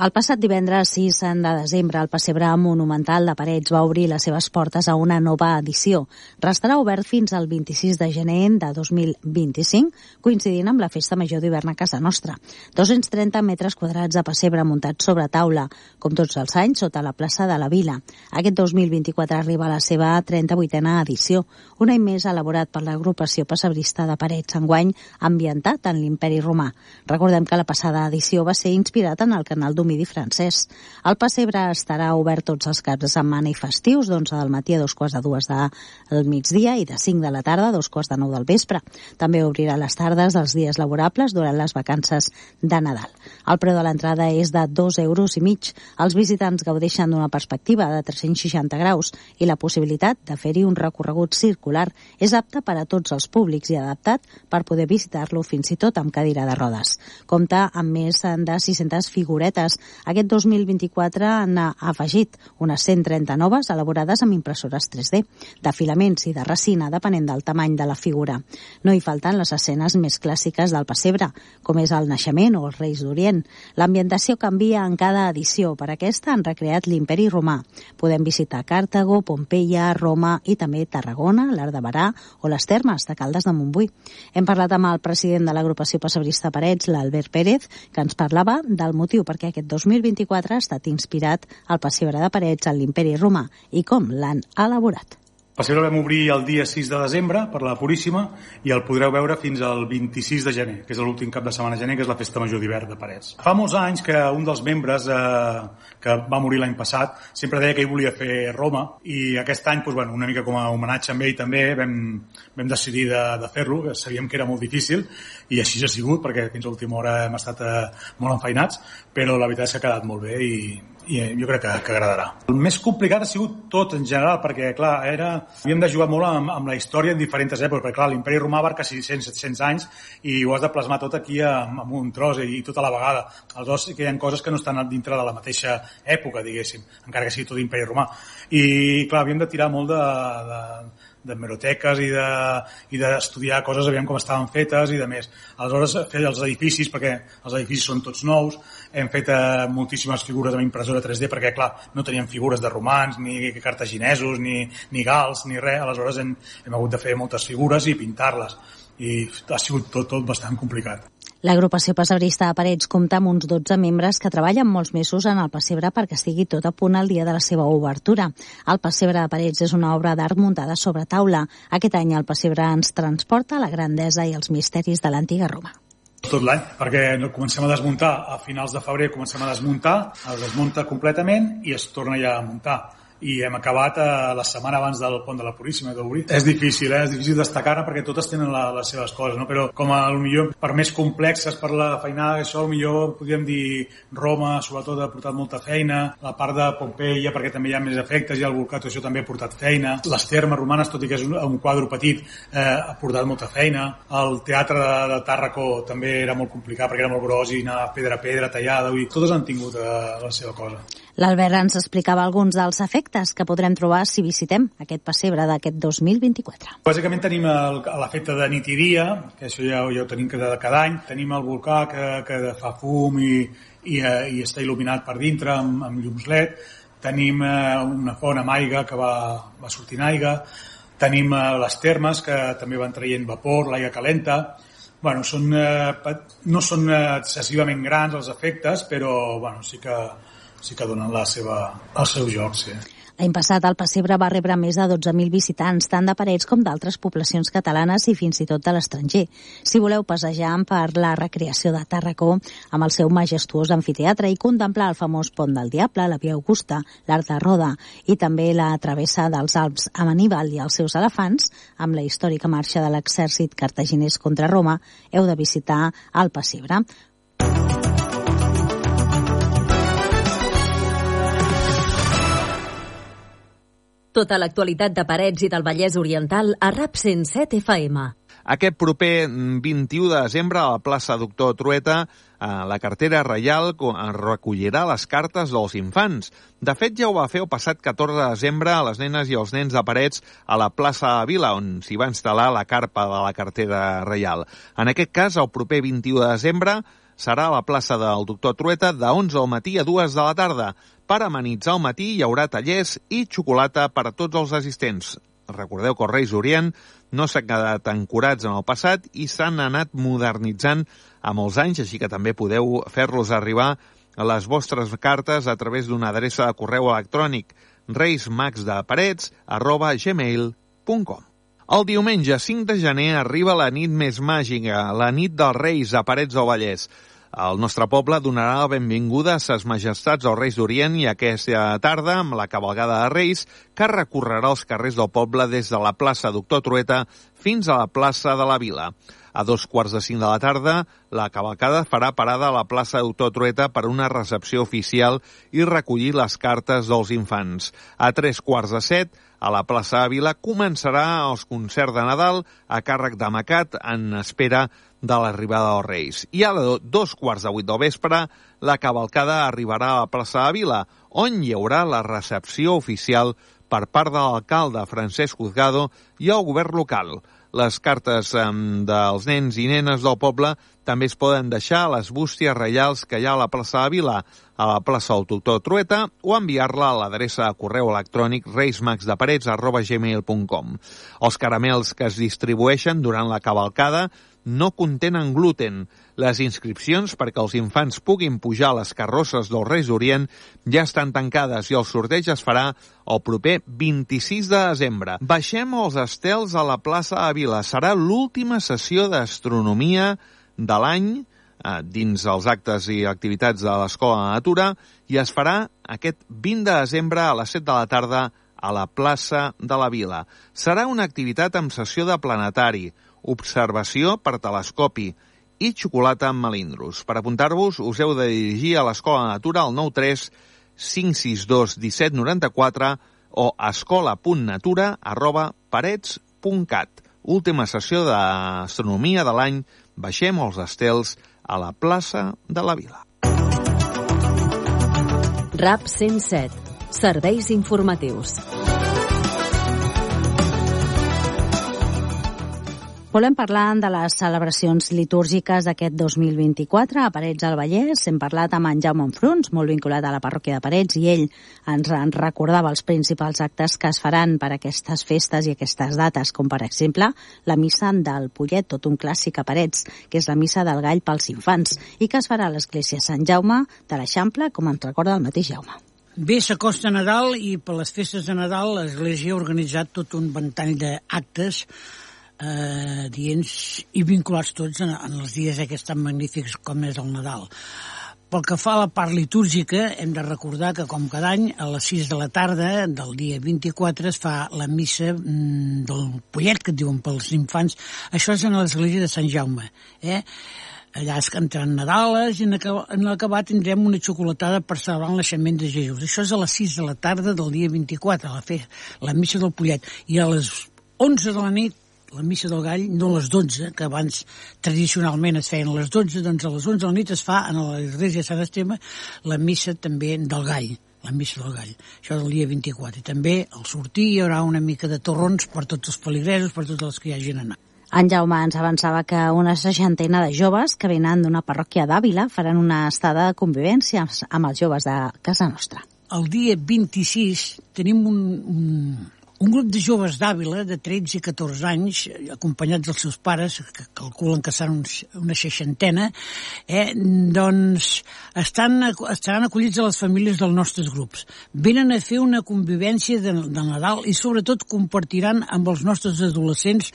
El passat divendres sis de desembre, el Pessebre Monumental de Parets va obrir les seves portes a una nova edició. Restarà obert fins al vint-i-sis de gener de dos mil vint-i-cinc, coincidint amb la Festa Major d'hivern a casa nostra. dos-cents trenta metres quadrats de pessebre muntats sobre taula, com tots els anys, sota la plaça de la Vila. Aquest dos mil vint-i-quatre arriba a la seva trenta-vuitena edició, un any més elaborat per l'agrupació pessebrista de Parets, enguany ambientat en l'Imperi Romà. Recordem que la passada edició va ser inspirat en el canal d'Humidi francès. El pessebre estarà obert tots els caps de setmana i festius, d'onze del matí a dos quarts de dues del migdia i de cinc de la tarda a dos quarts de nou del vespre. També obrirà les tardes dels dies laborables durant les vacances de Nadal. El preu de l'entrada és de dos euros i mig. Els visitants gaudeixen d'una perspectiva de tres-cents seixanta graus i la possibilitat de fer-hi un recorregut circular. És apte per a tots els públics i adaptat per poder visitar-lo fins i tot amb cadira de rodes. Compta amb més de sis-centes figuretes. Aquest dos mil vint-i-quatre n'ha afegit unes cent trenta noves elaborades amb impressores tres D, de filaments i de resina, depenent del tamany de la figura. No hi falten les escenes més clàssiques del pessebre, com és el naixement o els Reis d'Orient. L'ambientació canvia en cada edició. Per aquesta han recreat l'Imperi Romà. Podem visitar Càrtago, Pompeia, Roma i també Tarragona, l'Arc de Barà o les Termes de Caldes de Montbui. Hem parlat amb el president de l'agrupació pessebrista Parets, l'Albert Pérez, que ens parlava del motiu perquè aquest dos mil vint-i-quatre ha estat inspirat al pessebre de Parets en l'Imperi Romà i com l'han elaborat. El pessebre el vam obrir el dia sis de desembre per la Puríssima i el podreu veure fins al vint-i-sis de gener, que és l'últim cap de setmana de gener, que és la Festa Major d'hivern de Parets. Fa molts anys que un dels membres eh, que va morir l'any passat sempre deia que ell volia fer Roma i aquest any, doncs, bueno, una mica com a homenatge amb ell també vam, vam decidir de, de fer-lo, que sabíem que era molt difícil i així ha sigut perquè fins a l'última hora hem estat eh, molt enfeinats, però la veritat és que ha quedat molt bé i i jo crec que, que agradarà. El més complicat ha sigut tot en general, perquè clar, era, havíem de jugar molt amb, amb la història en diferents èpoques, perquè clar, l'Imperi Romà abarca sis-cents setze-cents anys i ho has de plasmar tot aquí amb, amb un tros i, i tota la vegada. Aleshores sí que hi ha coses que no estan dintre de la mateixa època, diguéssim, encara que sigui tot l'Imperi Romà. I clar, havíem de tirar molt de, de d'hemeroteques i de i d'estudiar coses, aviam com estaven fetes i de més. Aleshores, fer els edificis, perquè els edificis són tots nous, hem fet eh, moltíssimes figures amb impressora tres D, perquè, clar, no teníem figures de romans, ni cartaginesos, ni, ni gals, ni res. Aleshores, hem, hem hagut de fer moltes figures i pintar-les. I ha sigut tot, tot bastant complicat. L'agrupació pessebrista de Parets compta amb uns dotze membres que treballen molts mesos en el pessebre perquè estigui tot a punt el dia de la seva obertura. El pessebre de Parets és una obra d'art muntada sobre taula. Aquest any el pessebre ens transporta a la grandesa i els misteris de l'antiga Roma. Tot l'any, perquè comencem a desmuntar a finals de febrer, comencem a desmuntar, es desmunta completament i es torna ja a muntar. I hem acabat eh, la setmana abans del pont de la Puríssima d'obrir. És difícil, eh? És difícil destacar-ne perquè totes tenen la, les seves coses, no? Però com a millor per més complexes, per la feinada, això millor podríem dir Roma, sobretot ha portat molta feina, la part de Pompeia perquè també hi ha més efectes i el Vulcato, això també ha portat feina, les termes romanes, tot i que és un, un quadre petit, eh, ha portat molta feina, el teatre de, de Tàrraco també era molt complicat perquè era molt gros i anava pedra a pedra tallada, i totes han tingut eh, la seva cosa. L'Albert ens explicava alguns dels efectes que podrem trobar si visitem aquest pessebre d'aquest dos mil vint-i-quatre. Bàsicament tenim l'efecte de nit i dia, que això ja, ja ho tenim cada, cada any. Tenim el volcà que, que fa fum i, i, i està il·luminat per dintre amb, amb llums L E D. Tenim eh, una font amb aigua que va, va sortint aigua. Tenim eh, les termes que també van traient vapor, l'aigua calenta. Bueno, són, eh, no són excessivament grans els efectes, però bueno, sí que sí que donen la seva, el seu joc, sí. L'any passat el pessebre va rebre més de dotze mil visitants, tant de Parets com d'altres poblacions catalanes i fins i tot de l'estranger. Si voleu passejar per la recreació de Tàrraco amb el seu majestuós amfiteatre i contemplar el famós Pont del Diable, la Via Augusta, l'Arc de Roda i també la travessa dels Alps amb Aníbal i els seus elefants, amb la històrica marxa de l'exèrcit cartaginès contra Roma, heu de visitar el pessebre. Tota l'actualitat de Parets i del Vallès Oriental a RAP cent set F M. Aquest proper vint-i-u de desembre a la plaça Doctor Trueta, la cartera reial recollirà les cartes dels infants. De fet, ja ho va fer el passat catorze de desembre a les nenes i els nens de Parets a la plaça de Vila, on s'hi va instal·lar la carpa de la cartera reial. En aquest cas, el proper vint-i-u de desembre, serà a la plaça del Doctor Trueta de onze del matí a dues de la tarda. Per amenitzar el matí hi haurà tallers i xocolata per a tots els assistents. Recordeu que els Reis d'Orient no s'han quedat ancorats en el passat i s'han anat modernitzant amb els anys, així que també podeu fer-los arribar a les vostres cartes a través d'una adreça de correu electrònic reismagsdeparets arroba gmail punt com. El diumenge cinc de gener arriba la nit més màgica, la nit dels Reis a Parets del Vallès. El nostre poble donarà la benvinguda a ses majestats dels Reis d'Orient i aquesta tarda amb la cavalgada de Reis que recorrerà els carrers del poble des de la plaça Doctor Trueta fins a la plaça de la Vila. A dos quarts de cinc de la tarda, la cavalcada farà parada a la plaça Doctor Trueta per una recepció oficial i recollir les cartes dels infants. A tres quarts de set, a la plaça de Vila, començarà els concerts de Nadal a càrrec de Macat en espera de l'arribada dels Reis. I a dos quarts de vuit del vespre, la cavalcada arribarà a la plaça de Vila, on hi haurà la recepció oficial per part de l'alcalde Francesc Juzgado i el govern local. Les cartes eh, dels nens i nenes del poble també es poden deixar a les bústies reials que hi ha a la plaça de Vila, a la plaça del Doctor Trueta, o enviar-la a l'adreça de correu electrònic reismagsdeparets arroba gmail punt com. Els caramels que es distribueixen durant la cavalcada no contenen gluten. Les inscripcions perquè els infants puguin pujar a les carrosses dels Reis d'Orient ja estan tancades i el sorteig es farà el proper vint-i-sis de desembre. Baixem els estels a la plaça de Vila. Serà l'última sessió d'astronomia de l'any eh, dins els actes i activitats de l'Escola de Natura i es farà aquest vint de desembre a les set de la tarda a la plaça de la Vila. Serà una activitat amb sessió de planetari, observació per telescopi i xocolata amb melindros. Per apuntar-vos, us heu de dirigir a l'Escola de Natura al nou tres cinc sis dos disset noranta-quatre o escola.natura arroba parets punt cat. Última sessió d'astronomia de l'any. Baixem els estels a la plaça de la Vila. RAP cent set. Serveis informatius. Volem parlar de les celebracions litúrgiques d'aquest dos mil vint-i-quatre a Parets del Vallès. Hem parlat amb en Jaume Enfruns, molt vinculat a la parròquia de Parets, i ell ens en recordava els principals actes que es faran per aquestes festes i aquestes dates, com per exemple la missa del Pollet, tot un clàssic a Parets, que és la missa del gall pels infants, i que es farà a l'església Sant Jaume de l'Eixample, com ens recorda el mateix Jaume. Bé, s'acosta Nadal i per les festes de Nadal l'església ha organitzat tot un ventall d'actes Eh, dients i vinculats tots en, en els dies aquests tan magnífics com és el Nadal. Pel que fa a la part litúrgica, hem de recordar que com cada any a les sis de la tarda del dia vint-i-quatre es fa la missa mm, del Pollet, que et diuen pels infants. Això és en l'església de Sant Jaume, eh? Allà es cantaran Nadales i en l'acabat tindrem una xocolatada per celebrar el naixement de Jesús. Això és a les sis de la tarda del dia vint-i-quatre, la, fe, la missa del Pollet. I a les onze de la nit la missa del gall, no a les dotze, que abans tradicionalment es feien a les dotze, doncs a les onze de la nit es fa en l'església de Sant Esteve la missa també del gall, la missa del gall. Això del dia vint-i-quatre. I també al sortir hi haurà una mica de torrons per tots els feligresos, per tots els que hi hagin anat. En Jaume ens avançava que una seixantena de joves que venen d'una parròquia d'Àvila faran una estada de convivència amb els joves de casa nostra. El dia vint-i-sis tenim un... un Un grup de joves d'Àvila, de tretze i catorze anys, acompanyats dels seus pares, que calculen que seran una seixantena, eh, doncs estan, estaran acollits a les famílies dels nostres grups. Venen a fer una convivència de, de Nadal i sobretot compartiran amb els nostres adolescents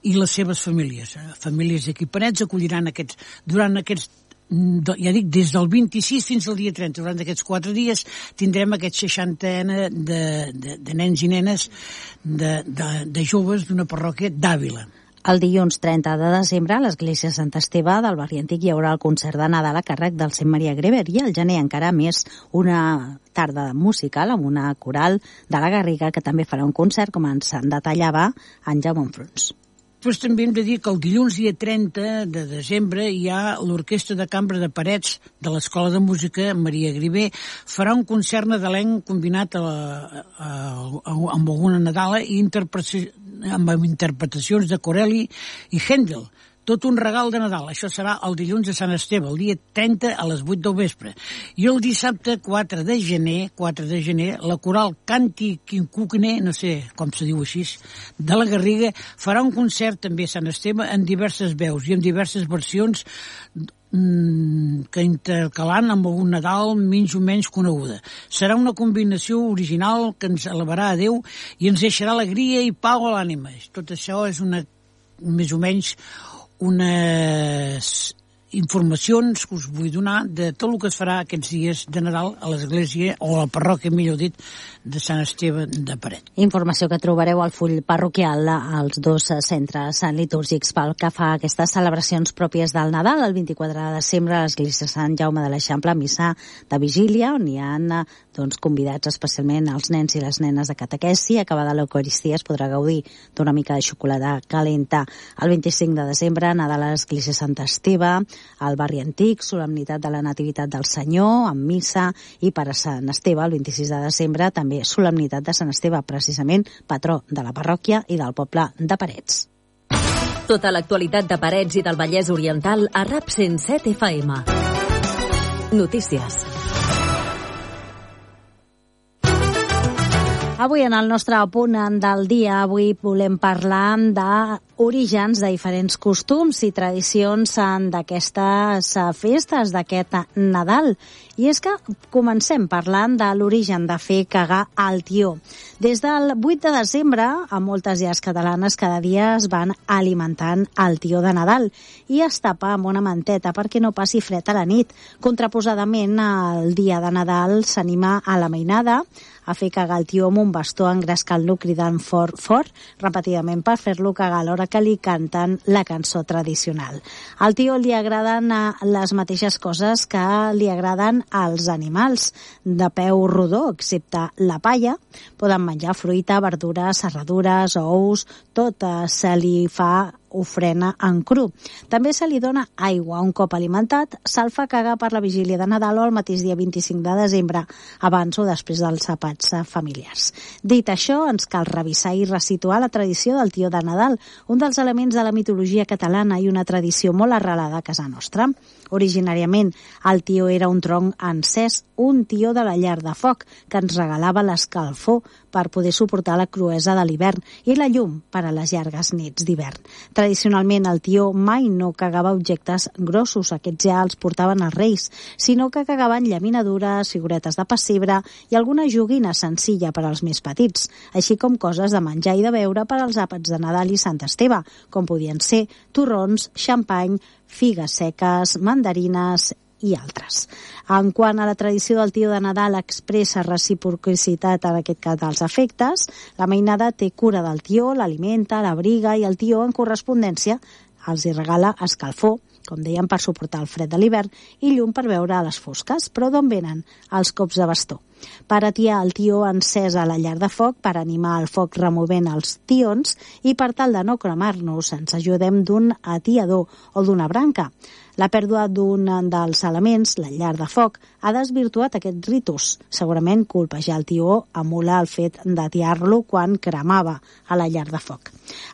i les seves famílies. Famílies d'aquí Parets acolliran aquests, durant aquests ja dic, des del vint-i-sis fins al dia trenta, durant aquests quatre dies tindrem aquest seixantena de, de, de nens i nenes de, de, de joves d'una parròquia d'Àvila. El dilluns trenta de desembre a l'església Sant Esteve del barri antic hi haurà el concert de Nadal a càrrec del Sant Maria Greber i al gener encara més una tarda musical amb una coral de la Garriga que també farà un concert, com ens en detallava en Jaume Enfruns. Després també hem de dir que el dilluns dia trenta de desembre hi ha l'Orquestra de Cambra de Parets de l'Escola de Música Maria Griver. Farà un concert nadalenc combinat a la, a, a, amb alguna Nadala i interpretació, amb interpretacions de Corelli i Händel. tot un regal de Nadal. Això serà el dilluns de Sant Esteve, el dia trenta a les vuit del vespre. I el dissabte quatre de gener, quatre de gener, la coral Canti Quincucne, no sé com se diu així, de la Garriga, farà un concert també a Sant Esteve en diverses veus i en diverses versions que intercalant amb algun Nadal menys o menys coneguda. Serà una combinació original que ens elevarà a Déu i ens deixarà alegria i pau a l'ànima. Tot això és una, més o menys unes informacions que us vull donar de tot el que es farà aquests dies de Nadal a l'església, o a la parròquia, millor dit, de Sant Esteve de Paret. Informació que trobareu al full parroquial als dos centres litúrgics pel que fa a aquestes celebracions pròpies del Nadal. El vint-i-quatre de desembre a l'església Sant Jaume de l'Eixample, missa de vigília, on hi ha doncs, convidats especialment els nens i les nenes de catequesi. Acabada l'Eucaristia es podrà gaudir d'una mica de xocolata calenta. El vint-i-cinc de desembre, Nadal a l'església Sant Esteve, al barri antic, solemnitat de la Nativitat del Senyor, amb missa, i per a Sant Esteve, el vint-i-sis de desembre, també solemnitat de Sant Esteve, precisament patró de la parròquia i del poble de Parets. Tota l'actualitat de Parets i del Vallès Oriental a RAP cent set F M. Notícies. Avui, en el nostre punt del dia, avui volem parlar d'orígens de diferents costums i tradicions d'aquestes festes, d'aquest Nadal. I és que comencem parlant de l'origen de fer cagar al tió. Des del vuit de desembre, a moltes llars catalanes cada dia es van alimentant el tió de Nadal i es tapa amb una manteta perquè no passi fred a la nit. Contraposadament, el dia de Nadal s'anima a la mainada a fer cagar el tió amb un bastó engrescant-lo cridant fort, fort, repetidament per fer-lo cagar alhora que li canten la cançó tradicional. Al tió li agraden les mateixes coses que li agraden als animals, de peu rodó, excepte la palla. Poden menjar fruita, verdures, serradures, ous, tot se li fa ofrena en cru. També se li dona aigua. Un cop alimentat, se'l fa cagar per la vigília de Nadal o el mateix dia vint-i-cinc de desembre, abans o després dels àpats familiars. Dit això, ens cal revisar i resituar la tradició del tió de Nadal, un dels elements de la mitologia catalana i una tradició molt arrelada a casa nostra. Originàriament, el tió era un tronc encès, un tió de la llar de foc, que ens regalava l'escalfor per poder suportar la cruesa de l'hivern i la llum per a les llargues nits d'hivern. Tradicionalment, el tió mai no cagava objectes grossos, aquests ja els portaven els reis, sinó que cagaven llaminadures, figuretes de pessebre i alguna joguina senzilla per als més petits, així com coses de menjar i de beure per als àpats de Nadal i Sant Esteve, com podien ser torrons, xampany, figues seques, mandarines i altres. En quant a la tradició del tió de Nadal expressa reciprocitat, en aquest cas dels afectes, la mainada té cura del tió, l'alimenta, l'abriga i el tió en correspondència els hi regala escalfor, com dèiem, per suportar el fred de l'hivern i llum per veure a les fosques. Però d'on venen els cops de bastó? Per atiar el tió encès a la llar de foc, per animar el foc removent els tions i per tal de no cremar-nos ens ajudem d'un atiador o d'una branca. La pèrdua d'un dels elements, la llar de foc, ha desvirtuat aquest ritus. Segurament colpejar el tió emula el fet d'atiar-lo quan cremava a la llar de foc.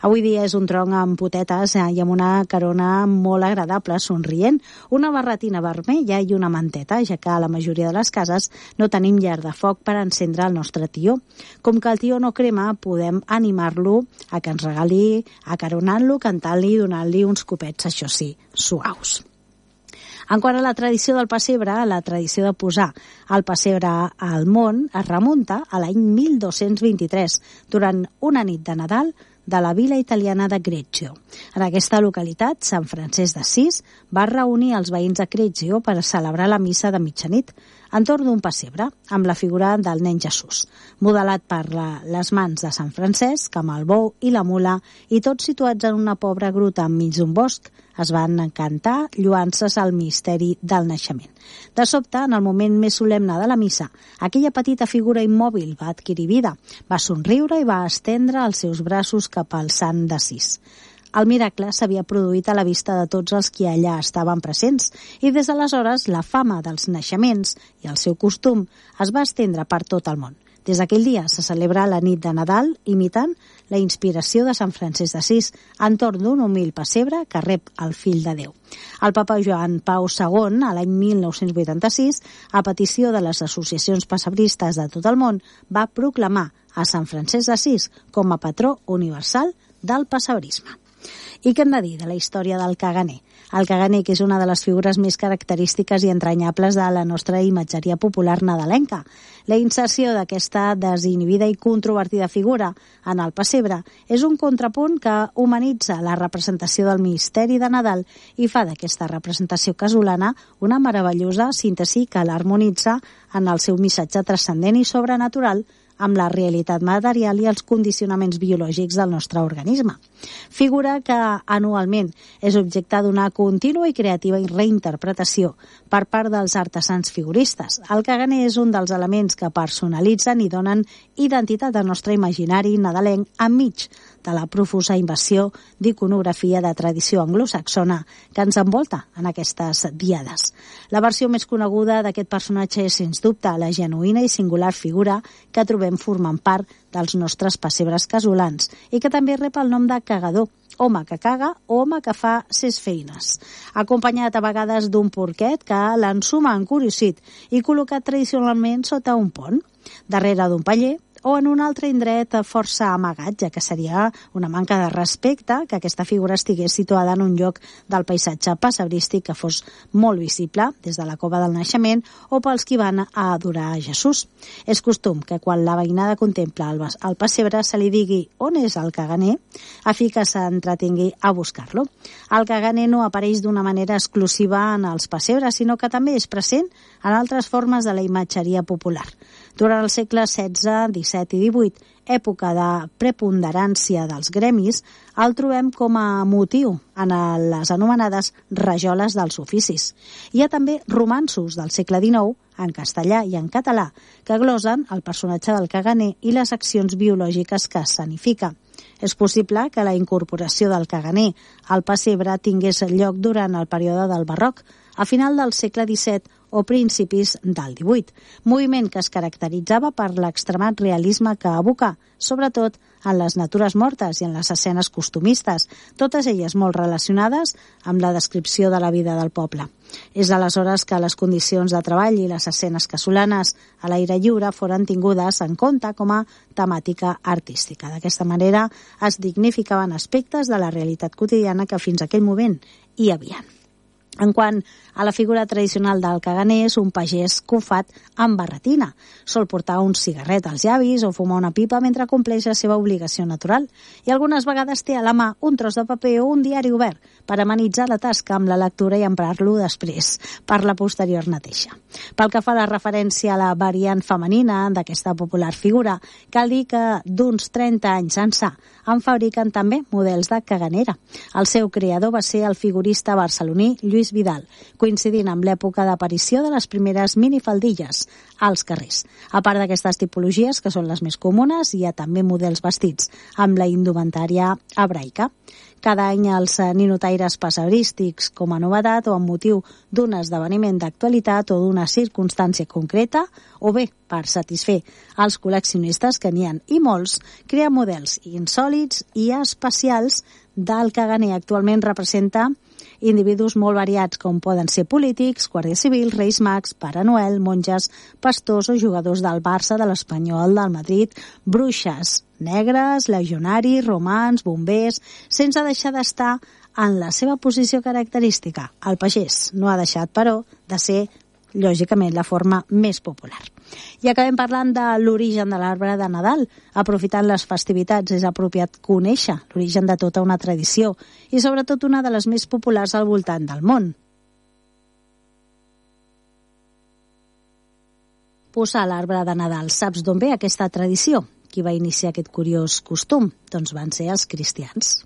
Avui dia és un tronc amb potetes i amb una carona molt agradable, somrient, una barretina vermella i una manteta, ja que a la majoria de les cases no tenim llar de foc per encendre el nostre tió. Com que el tió no crema, podem animar-lo a que ens regali, acaronant-lo, cantant-li i donant-li uns copets, això sí, suaus. En quant a la tradició del pessebre, la tradició de posar el pessebre al món es remunta a l'any mil dos-cents vint-i-tres, durant una nit de Nadal de la vila italiana de Greccio. En aquesta localitat, Sant Francesc d'Assís va reunir els veïns de Greccio per celebrar la missa de mitjanit entorn d'un pessebre, amb la figura del nen Jesús, modelat per la, les mans de Sant Francesc, amb el bou i la mula, i tots situats en una pobra gruta enmig d'un bosc. Es van cantar lloances al misteri del naixement. De sobte, en el moment més solemne de la missa, aquella petita figura immòbil va adquirir vida, va somriure i va estendre els seus braços cap al sant d'Assís. El miracle s'havia produït a la vista de tots els qui allà estaven presents i des d'aleshores la fama dels naixements i el seu costum es va estendre per tot el món. Des d'aquell dia se celebra la nit de Nadal imitant la inspiració de Sant Francesc d'Assís entorn d'un humil pessebre que rep el fill de Déu. El papa Joan Pau segon, a l'any mil nou-cents vuitanta-sis, a petició de les associacions pessebristes de tot el món, va proclamar a Sant Francesc d'Assís com a patró universal del pessebrisme. I què hem de dir de la història del caganer? El caganer, que és una de les figures més característiques i entranyables de la nostra imatgeria popular nadalenca. La inserció d'aquesta desinhibida i controvertida figura en el pessebre és un contrapunt que humanitza la representació del misteri de Nadal i fa d'aquesta representació casolana una meravellosa síntesi que l'harmonitza en el seu missatge transcendent i sobrenatural amb la realitat material i els condicionaments biològics del nostre organisme. Figura que anualment és objecte d'una contínua i creativa reinterpretació per part dels artesans figuristes. El caganer és un dels elements que personalitzen i donen identitat al nostre imaginari nadalenc enmig de la profusa invasió d'iconografia de tradició anglosaxona que ens envolta en aquestes diades. La versió més coneguda d'aquest personatge és, sens dubte, la genuïna i singular figura que trobem formant part dels nostres pessebres casolans i que també rep el nom de cagador, home que caga o home que fa ses feines, acompanyat a vegades d'un porquet que l'ensuma encuriosit i col·locat tradicionalment sota un pont, darrere d'un paller o en un altre indret força amagat, ja que seria una manca de respecte que aquesta figura estigués situada en un lloc del paisatge pessebrístic que fos molt visible des de la cova del naixement o pels qui van a adorar a Jesús. És costum que quan la veïnada contempla el, el pessebre se li digui on és el caganer, a fi que s'entretingui a buscar-lo. El caganer no apareix d'una manera exclusiva en els pessebres, sinó que també és present en altres formes de la imatgeria popular. Durant el segle setze, disset i divuit, època de preponderància dels gremis, el trobem com a motiu en les anomenades rajoles dels oficis. Hi ha també romanços del segle dinou, en castellà i en català, que glosen el personatge del caganer i les accions biològiques que escenifica. És possible que la incorporació del caganer al pessebre tingués lloc durant el període del barroc, a final del segle disset o principis del divuit, moviment que es caracteritzava per l'extremat realisme que evoca, sobretot en les natures mortes i en les escenes costumistes, totes elles molt relacionades amb la descripció de la vida del poble. És aleshores que les condicions de treball i les escenes casolanes a l'aire lliure foren tingudes en compte com a temàtica artística. D'aquesta manera es dignificaven aspectes de la realitat quotidiana que fins a aquell moment hi havia. En quant a la figura tradicional del caganer, és un pagès cofat amb barretina. Sol portar un cigarret als llavis o fumar una pipa mentre compleix la seva obligació natural. I algunes vegades té a la mà un tros de paper o un diari obert per amenitzar la tasca amb la lectura i emprar-lo després per la posterior neteja. Pel que fa a la referència a la variant femenina d'aquesta popular figura, cal dir que d'uns trenta anys ençà en fabriquen també models de caganera. El seu creador va ser el figurista barceloní Lluís Vidal, coincidint amb l'època d'aparició de les primeres minifaldilles als carrers. A part d'aquestes tipologies, que són les més comunes, hi ha també models vestits amb la indumentària hebraica. Cada any els ninotaires pessebrístics, com a novetat o amb motiu d'un esdeveniment d'actualitat o d'una circumstància concreta, o bé per satisfer els col·leccionistes, que n'hi ha i molts, crea models insòlits i especials del caganer. Actualment representa individus molt variats, com poden ser polítics, guàrdia civil, reis mags, Pare Noel, monges, pastors o jugadors del Barça, de l'Espanyol, del Madrid, bruixes, negres, legionaris, romans, bombers, sense deixar d'estar en la seva posició característica. El pagès no ha deixat, però, de ser, lògicament, la forma més popular. I acabem parlant de l'origen de l'arbre de Nadal. Aprofitant les festivitats, és apropiat conèixer l'origen de tota una tradició i sobretot una de les més populars al voltant del món. Posar l'arbre de Nadal. Saps d'on ve aquesta tradició? Qui va iniciar aquest curiós costum? Doncs van ser els cristians.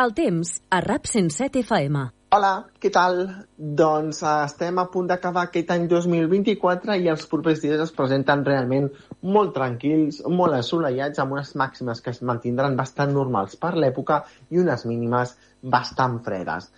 El temps a RAP cent set F M. Hola, què tal? Doncs uh, estem a punt d'acabar aquest any dos mil vint-i-quatre i els propers dies es presenten realment molt tranquils, molt assolellats, amb unes màximes que es mantindran bastant normals per l'època i unes mínimes bastant fredes.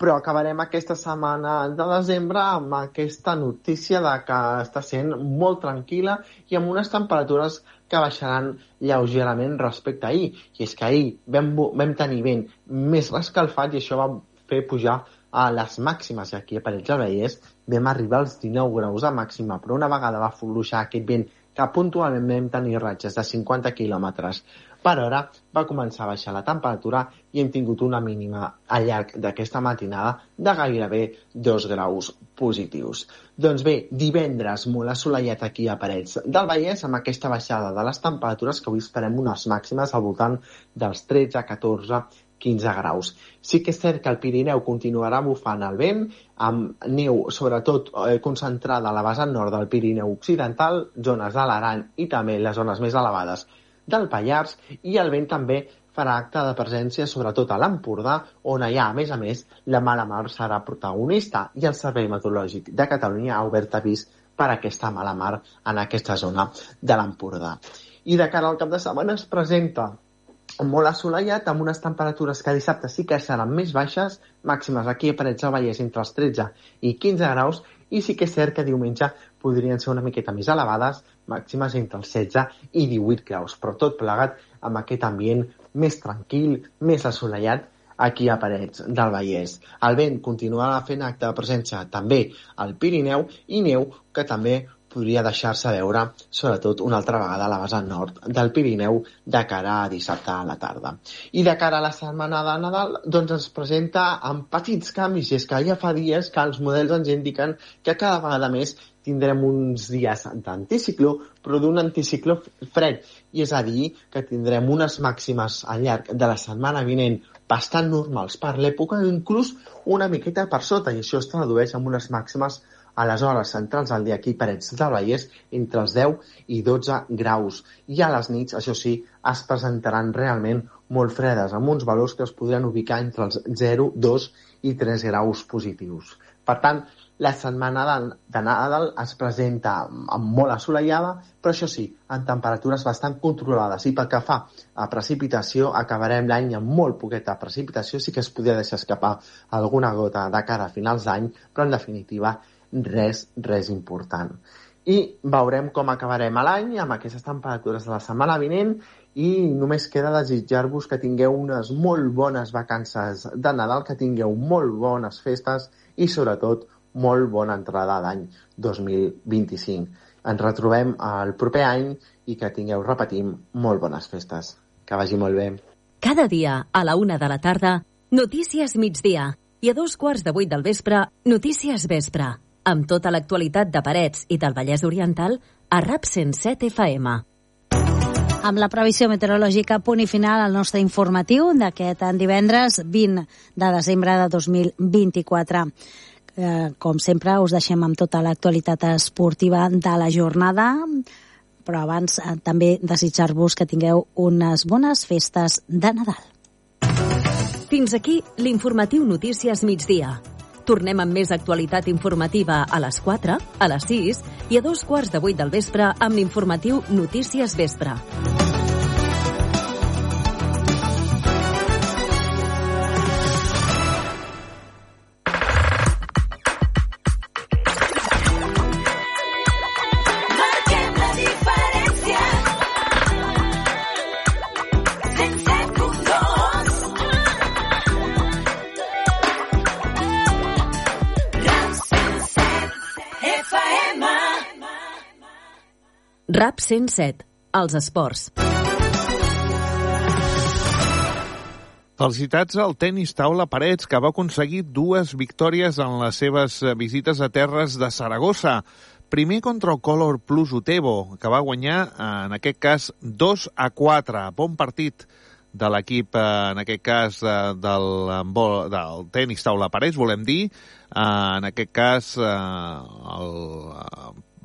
Però acabarem aquesta setmana de desembre amb aquesta notícia de que està sent molt tranquil·la i amb unes temperatures que baixaran lleugerament respecte a ahir. I és que ahir vam, vam tenir vent més rescalfat i això va fer pujar a les màximes. I aquí a Parets del Vallès vam arribar als dinou graus de màxima, però una vegada va fluixar aquest vent que puntualment vam tenir ratxes de cinquanta quilòmetres per hora, va començar a baixar la temperatura i hem tingut una mínima al llarg d'aquesta matinada de gairebé dos graus positius. Doncs bé, divendres molt assolellat aquí a Parets del Vallès amb aquesta baixada de les temperatures que avui esperem unes màximes al voltant dels tretze, catorze, quinze graus. Sí que és cert que el Pirineu continuarà bufant el vent, amb neu sobretot eh, concentrada a la vessant nord del Pirineu occidental, zones de l'Aran i també les zones més elevades del Pallars, i el vent també farà acte de presència sobretot a l'Empordà, on allà, a més a més, la mala mar serà protagonista i el Servei Meteorològic de Catalunya ha obert avís per aquesta mala mar en aquesta zona de l'Empordà. I de cara al cap de setmana es presenta molt assolellat, amb unes temperatures que dissabte sí que seran més baixes, màximes aquí a Parets del Vallès entre els tretze i quinze graus, i sí que és cert que diumenge podrien ser una miqueta més elevades, màximes entre els setze i divuit graus, però tot plegat amb aquest ambient més tranquil, més assolellat aquí a Parets del Vallès. El vent continuarà fent acte de presència també al Pirineu i neu que també podria deixar-se veure, sobretot una altra vegada a la vessant nord del Pirineu de cara a dissabte a la tarda. I de cara a la setmana de Nadal, doncs ens presenta amb petits canvis, i és que ja fa dies que els models ens indiquen que cada vegada més tindrem uns dies d'anticicló, però d'un anticicló fred, i és a dir, que tindrem unes màximes al llarg de la setmana vinent bastant normals per l'època, inclús una miqueta per sota, i això es tradueix en unes màximes a les hores centrals del dia aquí a Parets del Vallès entre els deu i dotze graus. I a les nits, això sí, es presentaran realment molt fredes, amb uns valors que es podran ubicar entre els zero, dos i tres graus positius. Per tant, la setmana de, de Nadal es presenta amb molt assolellada, però això sí, en temperatures bastant controlades. I pel que fa a precipitació, acabarem l'any amb molt poqueta precipitació, sí que es podria deixar escapar alguna gota de cara a finals d'any, però en definitiva res, res important. I veurem com acabarem l'any amb aquestes temperatures de la setmana vinent i només queda desitjar-vos que tingueu unes molt bones vacances de Nadal, que tingueu molt bones festes i sobretot molt bona entrada d'any dos mil vint-i-cinc. Ens retrobem el proper any i que tingueu, repetim, molt bones festes. Que vagi molt bé. Cada dia a la una de la tarda, Notícies Migdia, i a dos quarts de vuit del vespre, Notícies Vespre, amb tota l'actualitat de Parets i del Vallès Oriental a RAP cent set F M. Amb la previsió meteorològica, punt i final al nostre informatiu d'aquest divendres vint de desembre de dos mil vint-i-quatre. Eh, com sempre, us deixem amb tota l'actualitat esportiva de la jornada, però abans eh, també desitjar-vos que tingueu unes bones festes de Nadal. Fins aquí l'informatiu Notícies Migdia. Tornem amb més actualitat informativa a les quatre, a les sis i a dos quarts de vuit del vespre amb l'informatiu Notícies Vespre. RAP cent set, els esports. Felicitats al tenis taula Parets, que va aconseguir dues victòries en les seves visites a terres de Saragossa. Primer contra el Color Plus Utebo, que va guanyar, en aquest cas, dos a quatre. Bon partit de l'equip, en aquest cas, del, del tenis taula Parets, volem dir. En aquest cas, el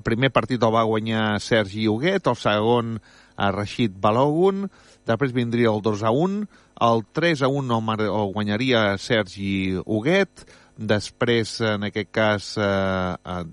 primer partit el va guanyar Sergi Huguet, el segon a Rashid Balogun. després vindria el dos a un, el tres a un el, el guanyaria Sergi Huguet, després, en aquest cas, eh, eh,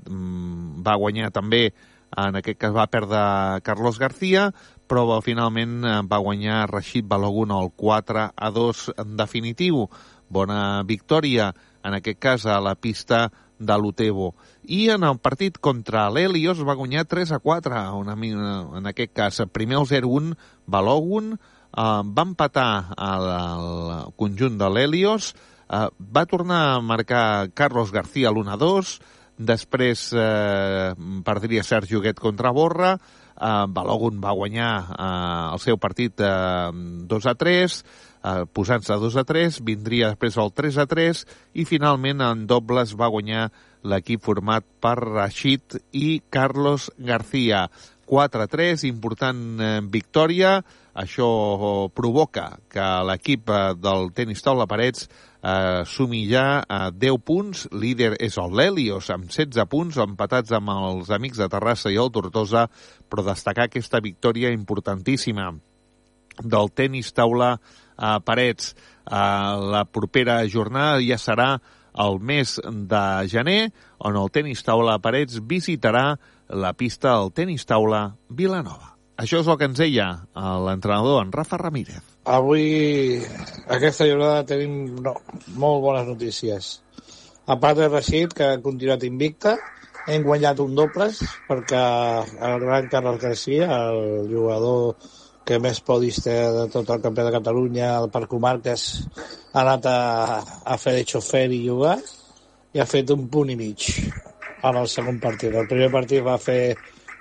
va guanyar també, en aquest cas va perdre Carlos García, però finalment va guanyar Rashid Balogun el quatre a dos en definitiu. Bona victòria, en aquest cas, a la pista de l'Utebo. I en el partit contra l'Helios va guanyar tres a quatre, una, en aquest cas, primer el zero a un, Balogun, eh, va empatar al, al conjunt de l'Helios, eh, va tornar a marcar Carlos García l'u a dos, després eh, perdria Sergi Huguet contra Borra, eh, Balogun va guanyar eh, el seu partit eh, dos a tres, eh, posant-se dos a tres, vindria després el tres a tres i finalment en dobles va guanyar l'equip format per Rashid i Carlos García. quatre a tres, important eh, victòria. Això provoca que l'equip eh, del tenis taula Parets eh, sumi ja a deu punts. Líder és el l'Helios amb setze punts, empatats amb els amics de Terrassa i el Tortosa, però destacar aquesta victòria importantíssima del tenis taula eh, Parets. Eh, la propera jornada ja serà el mes de gener, on el tenis taula Parets visitarà la pista del tenis taula Vilanova. Això és el que ens deia l'entrenador, en Rafa Ramírez. Avui, aquesta jornada, tenim no, molt bones notícies. A part de Rashid, que ha continuat invicta, hem guanyat un dobles, perquè el gran Carlos García, el jugador que més podis té de tot el campionat de Catalunya, per comarques, ha anat a, a fer de xofer i jugar, i ha fet un punt i mig en el segon partit. El primer partit va fer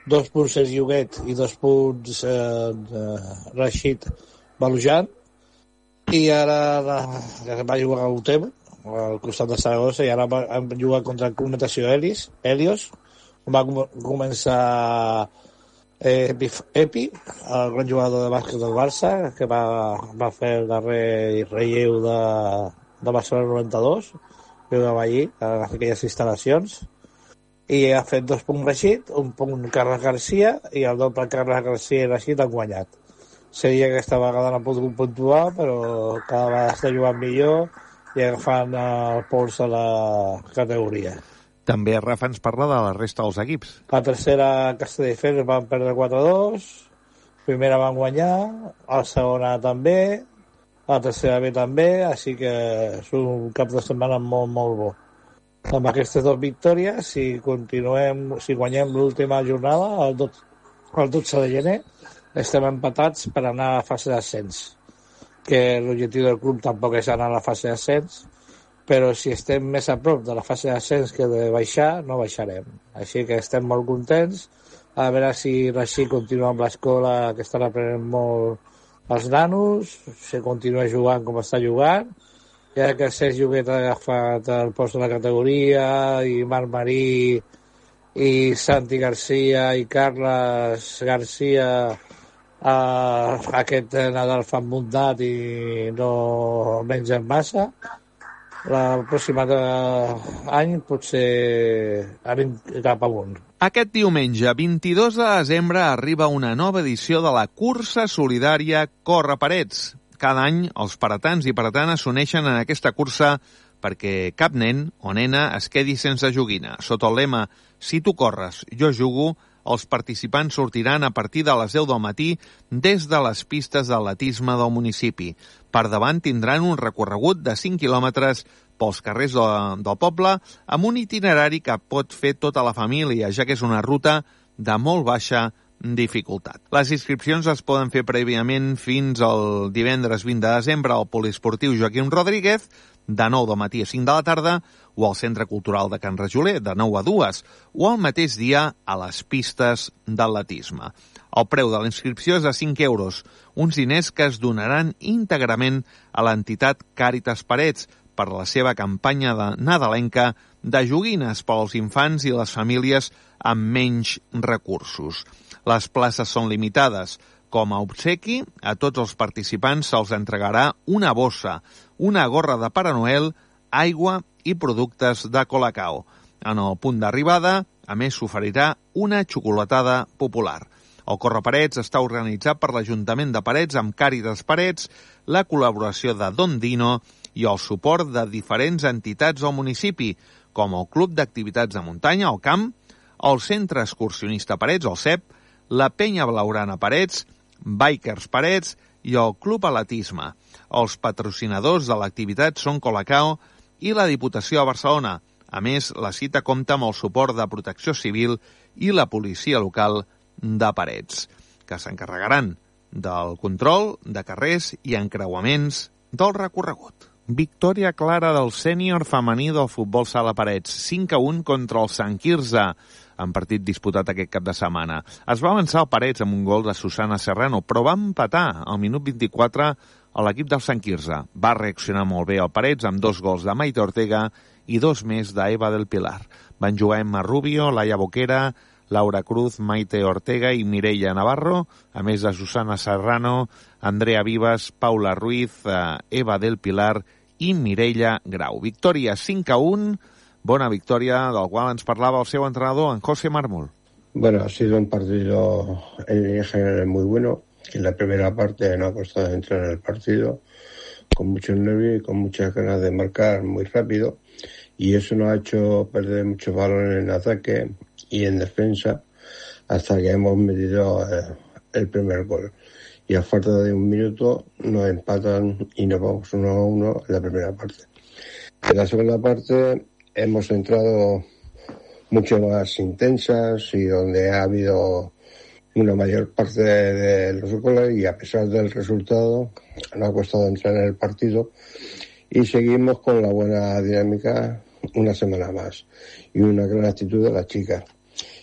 dos punts Sergi Huguet i dos punts eh, Rashid Balujan, i ara va jugar a Utebo, al costat de Saragossa, i ara vam jugar contra el Comunicació Helios, Helios, va començar eh, Epi, el gran jugador de bàsquet del Barça, que va, va fer el darrer relleu de, de Barcelona noranta-dos, que jugava allí, a aquelles instal·lacions, i ha fet dos punts Rashid, un punt Carles García, i el doble Carles García i Rashid han guanyat. Seria que aquesta vegada no ha pogut puntuar, però cada vegada està jugant millor i agafant el pols a la categoria. També Rafa ens parla de la resta dels equips. La tercera, Castelldefels, van perdre quatre a dos, primera van guanyar, la segona també, la tercera B també, així que és un cap de setmana molt, molt bo. Amb aquestes dues victòries, si continuem, si guanyem l'última jornada, el dotze de gener, estem empatats per anar a la fase d'ascens, que l'objectiu del club tampoc és anar a la fase d'ascens, però si estem més a prop de la fase d'ascens que de baixar, no baixarem. Així que estem molt contents, a veure si Rashid continua amb l'escola, que estan aprenent molt els nanos, si continua jugant com està jugant, ja que Sergi Huguet ha agafat el post de la categoria, i Marc Marí, i Santi García, i Carles García, eh, aquest Nadal fan muntat i no mengen massa. La pròxima any potser anem cap amunt. Aquest diumenge, vint-i-dos de desembre, arriba una nova edició de la cursa solidària Corre Parets. Cada any, els paratans i paratanes s'uneixen en aquesta cursa perquè cap nen o nena es quedi sense joguina. Sota el lema «Si tu corres, jo jugo», els participants sortiran a partir de les deu del matí des de les pistes d'atletisme del municipi. Per davant tindran un recorregut de cinc quilòmetres pels carrers de, del poble amb un itinerari que pot fer tota la família, ja que és una ruta de molt baixa dificultat. Les inscripcions es poden fer prèviament fins al divendres vint de desembre al poliesportiu Joaquim Rodríguez, de nou del matí a cinc de la tarda, o al Centre Cultural de Can Rajoler, de nou a dues, o al mateix dia a les pistes d'atletisme. El preu de la inscripció és de cinc euros, uns diners que es donaran íntegrament a l'entitat Càritas Parets per la seva campanya de nadalenca de joguines per als infants i les famílies amb menys recursos. Les places són limitades. Com a obsequi, a tots els participants se'ls entregarà una bossa, una gorra de Pare Noel, aigua i productes de Colacao. En el punt d'arribada, a més, s'oferirà una xocolatada popular. El Correparets està organitzat per l'Ajuntament de Parets amb Càritas Parets, la col·laboració de Don Dino i el suport de diferents entitats del municipi, com el Club d'Activitats de Muntanya, el Camp, el Centre Excursionista Parets, el C E P, la Penya Blaugrana Parets, Bikers Parets i el Club Atletisme. Els patrocinadors de l'activitat són Colacao i la Diputació de Barcelona. A més, la cita compta amb el suport de Protecció Civil i la policia local de Parets, que s'encarregaran del control de carrers i encreuaments del recorregut. Victòria clara del sènior femení del futbol sala Parets, cinc a un contra el Sant Quirze, en partit disputat aquest cap de setmana. Es va avançar el Parets amb un gol de Susana Serrano, però va empatar al minut vint-i-quatre a l'equip del Sant Quirze. Va reaccionar molt bé el Parets amb dos gols de Maite Ortega i dos més d'Eva del Pilar. Van jugar Emma Rubio, Laia Boquera, Laura Cruz, Maite Ortega i Mireia Navarro, a més de Susana Serrano, Andrea Vivas, Paula Ruiz, Eva del Pilar i Mireia Grau. Victòria cinc a un, bona victòria, del qual ens parlava el seu entrenador, en José Mármol. Bueno, ha sido un partido en general muy bueno. En la primera parte no ha costado entrar en el partido, con mucho nervio y con muchas ganas de marcar muy rápido, y eso nos ha hecho perder muchos balones en ataque y en defensa hasta que hemos metido eh, el primer gol. Y a falta de un minuto nos empatan y nos vamos uno a uno en la primera parte. En la segunda parte hemos entrado mucho más intensas y donde ha habido una mayor parte de, de los goles, y a pesar del resultado nos ha costado entrar en el partido y seguimos con la buena dinámica una semana más y una gran actitud de las chicas.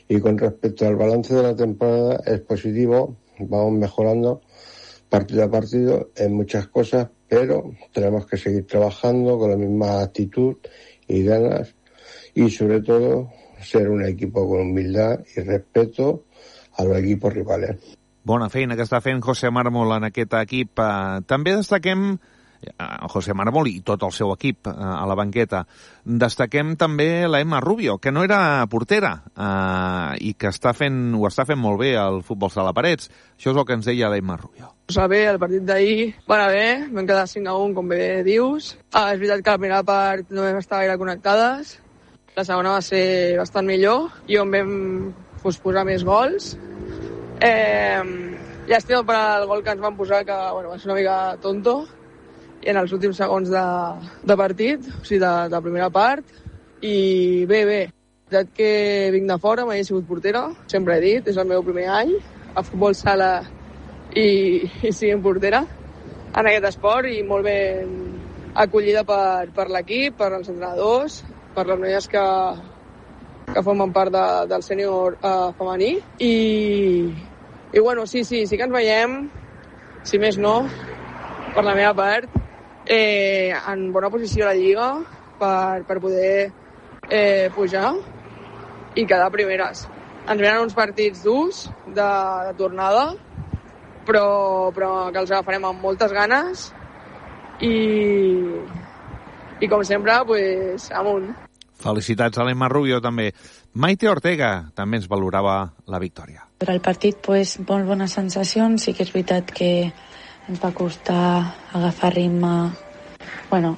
Y con respecto al balance de la temporada es positivo, vamos mejorando partido a partido en muchas cosas, pero tenemos que seguir trabajando con la misma actitud y ganas, y sobre todo ser un equipo con humildad y respeto a los equipos rivales. Bona feina que està fent José Mármol en aquest equip. També destaquem José Mármol i tot el seu equip a la banqueta. Destaquem també la Emma Rubio, que no era portera eh, i que està fent, ho està fent molt bé al futbol sala Parets. Això és el que ens deia l'Emma Rubio. Està bé, el partit d'ahir va anar bé, vam quedar cinc a un, com bé dius. Ah, és veritat que la primera part no vam estar gaire connectades, la segona va ser bastant millor i on vam pues, posar més gols. Eh, llàstima per al gol que ens van posar, que bueno, va ser una mica tonto, i en els últims segons de, de partit, o sigui, de, de primera part, i bé, bé. La veritat que vinc de fora, mai he sigut portera, sempre he dit, és el meu primer any, a futbol sala i, i siguin portera en aquest esport, i molt ben acollida per, per l'equip, per els entrenadors, per les noies que, que formen part de, del sènior eh, femení, i, i bueno, sí, sí, sí que ens veiem, si més no, per la meva part, eh, en bona posició a la Lliga per, per poder eh, pujar i quedar primeres. Ens venen uns partits durs de, de tornada, però, però que els agafarem amb moltes ganes i, i com sempre, pues, amunt. Felicitats a l'Emma Rubio també. Maite Ortega també ens valorava la victòria. Per al partit, pues, molt bones sensacions. Sí que és veritat que ens va costar agafar ritme, bueno,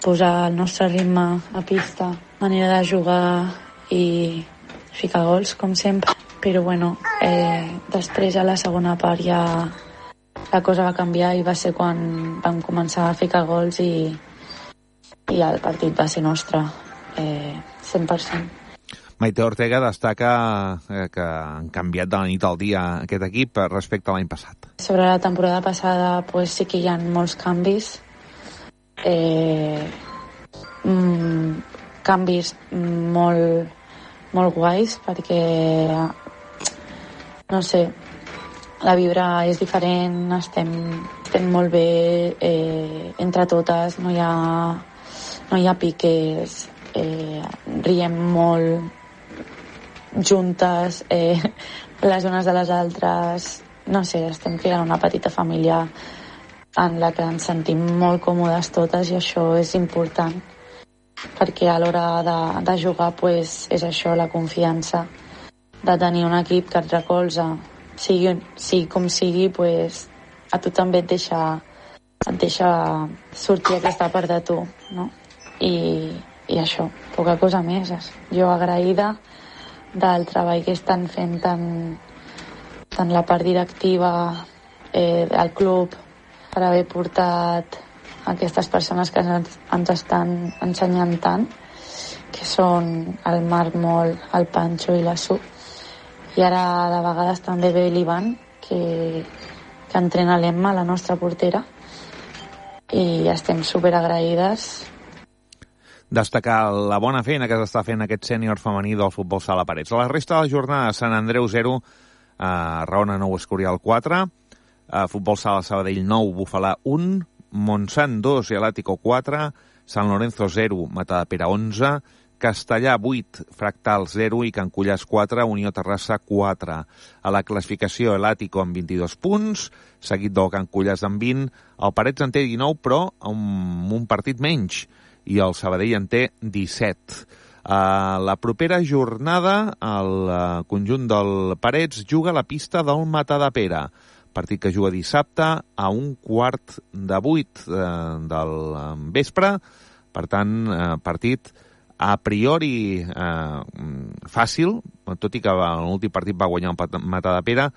posar el nostre ritme a pista, manera de jugar i ficar gols, com sempre. Però, bueno, eh, després a la segona part ja la cosa va canviar i va ser quan vam començar a ficar gols i, i el partit va ser nostre, eh, cent per cent. Maite Ortega destaca eh, que han canviat de la nit al dia aquest equip respecte a l'any passat. Sobre la temporada passada pues, sí que hi ha molts canvis. Eh, mm, canvis molt, molt guais perquè, no sé, la vibra és diferent, estem, estem molt bé eh, entre totes, no hi ha, no hi ha piques, eh, riem molt juntes, eh, les unes de les altres, no sé, estem creant una petita família en la que ens sentim molt còmodes totes i això és important perquè a l'hora de, de jugar pues, és això, la confiança de tenir un equip que et recolza sigui, sigui com sigui, pues, a tu també et deixa, et deixa sortir aquesta part de tu, no? I, i això, poca cosa més. Jo agraïda del treball que estan fent tant, tant la part directiva eh, del club per haver portat aquestes persones que ens, ens estan ensenyant tant, que són el Marc Mol, el Pancho i la Su. I ara de vegades també ve l'Ivan, que, que entrena l'Emma, la nostra portera, i estem superagraïdes. Destacar la bona feina que s'està fent aquest sènior femení del futbol sala Parets. A la resta de la jornada, Sant Andreu zero, eh, Raona nou, Escorial quatre, eh, futbol sala Sabadell nou, Bufalà un, Montsant dos i Atlètico quatre, Sant Lorenzo zero, Matadepera onze, Castellà vuit, Fractal zero i Can Cullàs quatre, Unió Terrassa quatre. A la classificació, Atlètico amb vint-i-dos punts, seguit del Can Cullàs amb vint, el Parets en té dinou, però amb un partit menys, i el Sabadell en té disset. Uh, la propera jornada, el uh, conjunt del Parets juga a la pista del Matadepera, partit que juga dissabte a un quart de vuit uh, del uh, vespre. Per tant, uh, partit a priori uh, fàcil, tot i que l'últim partit va guanyar el Matadepera,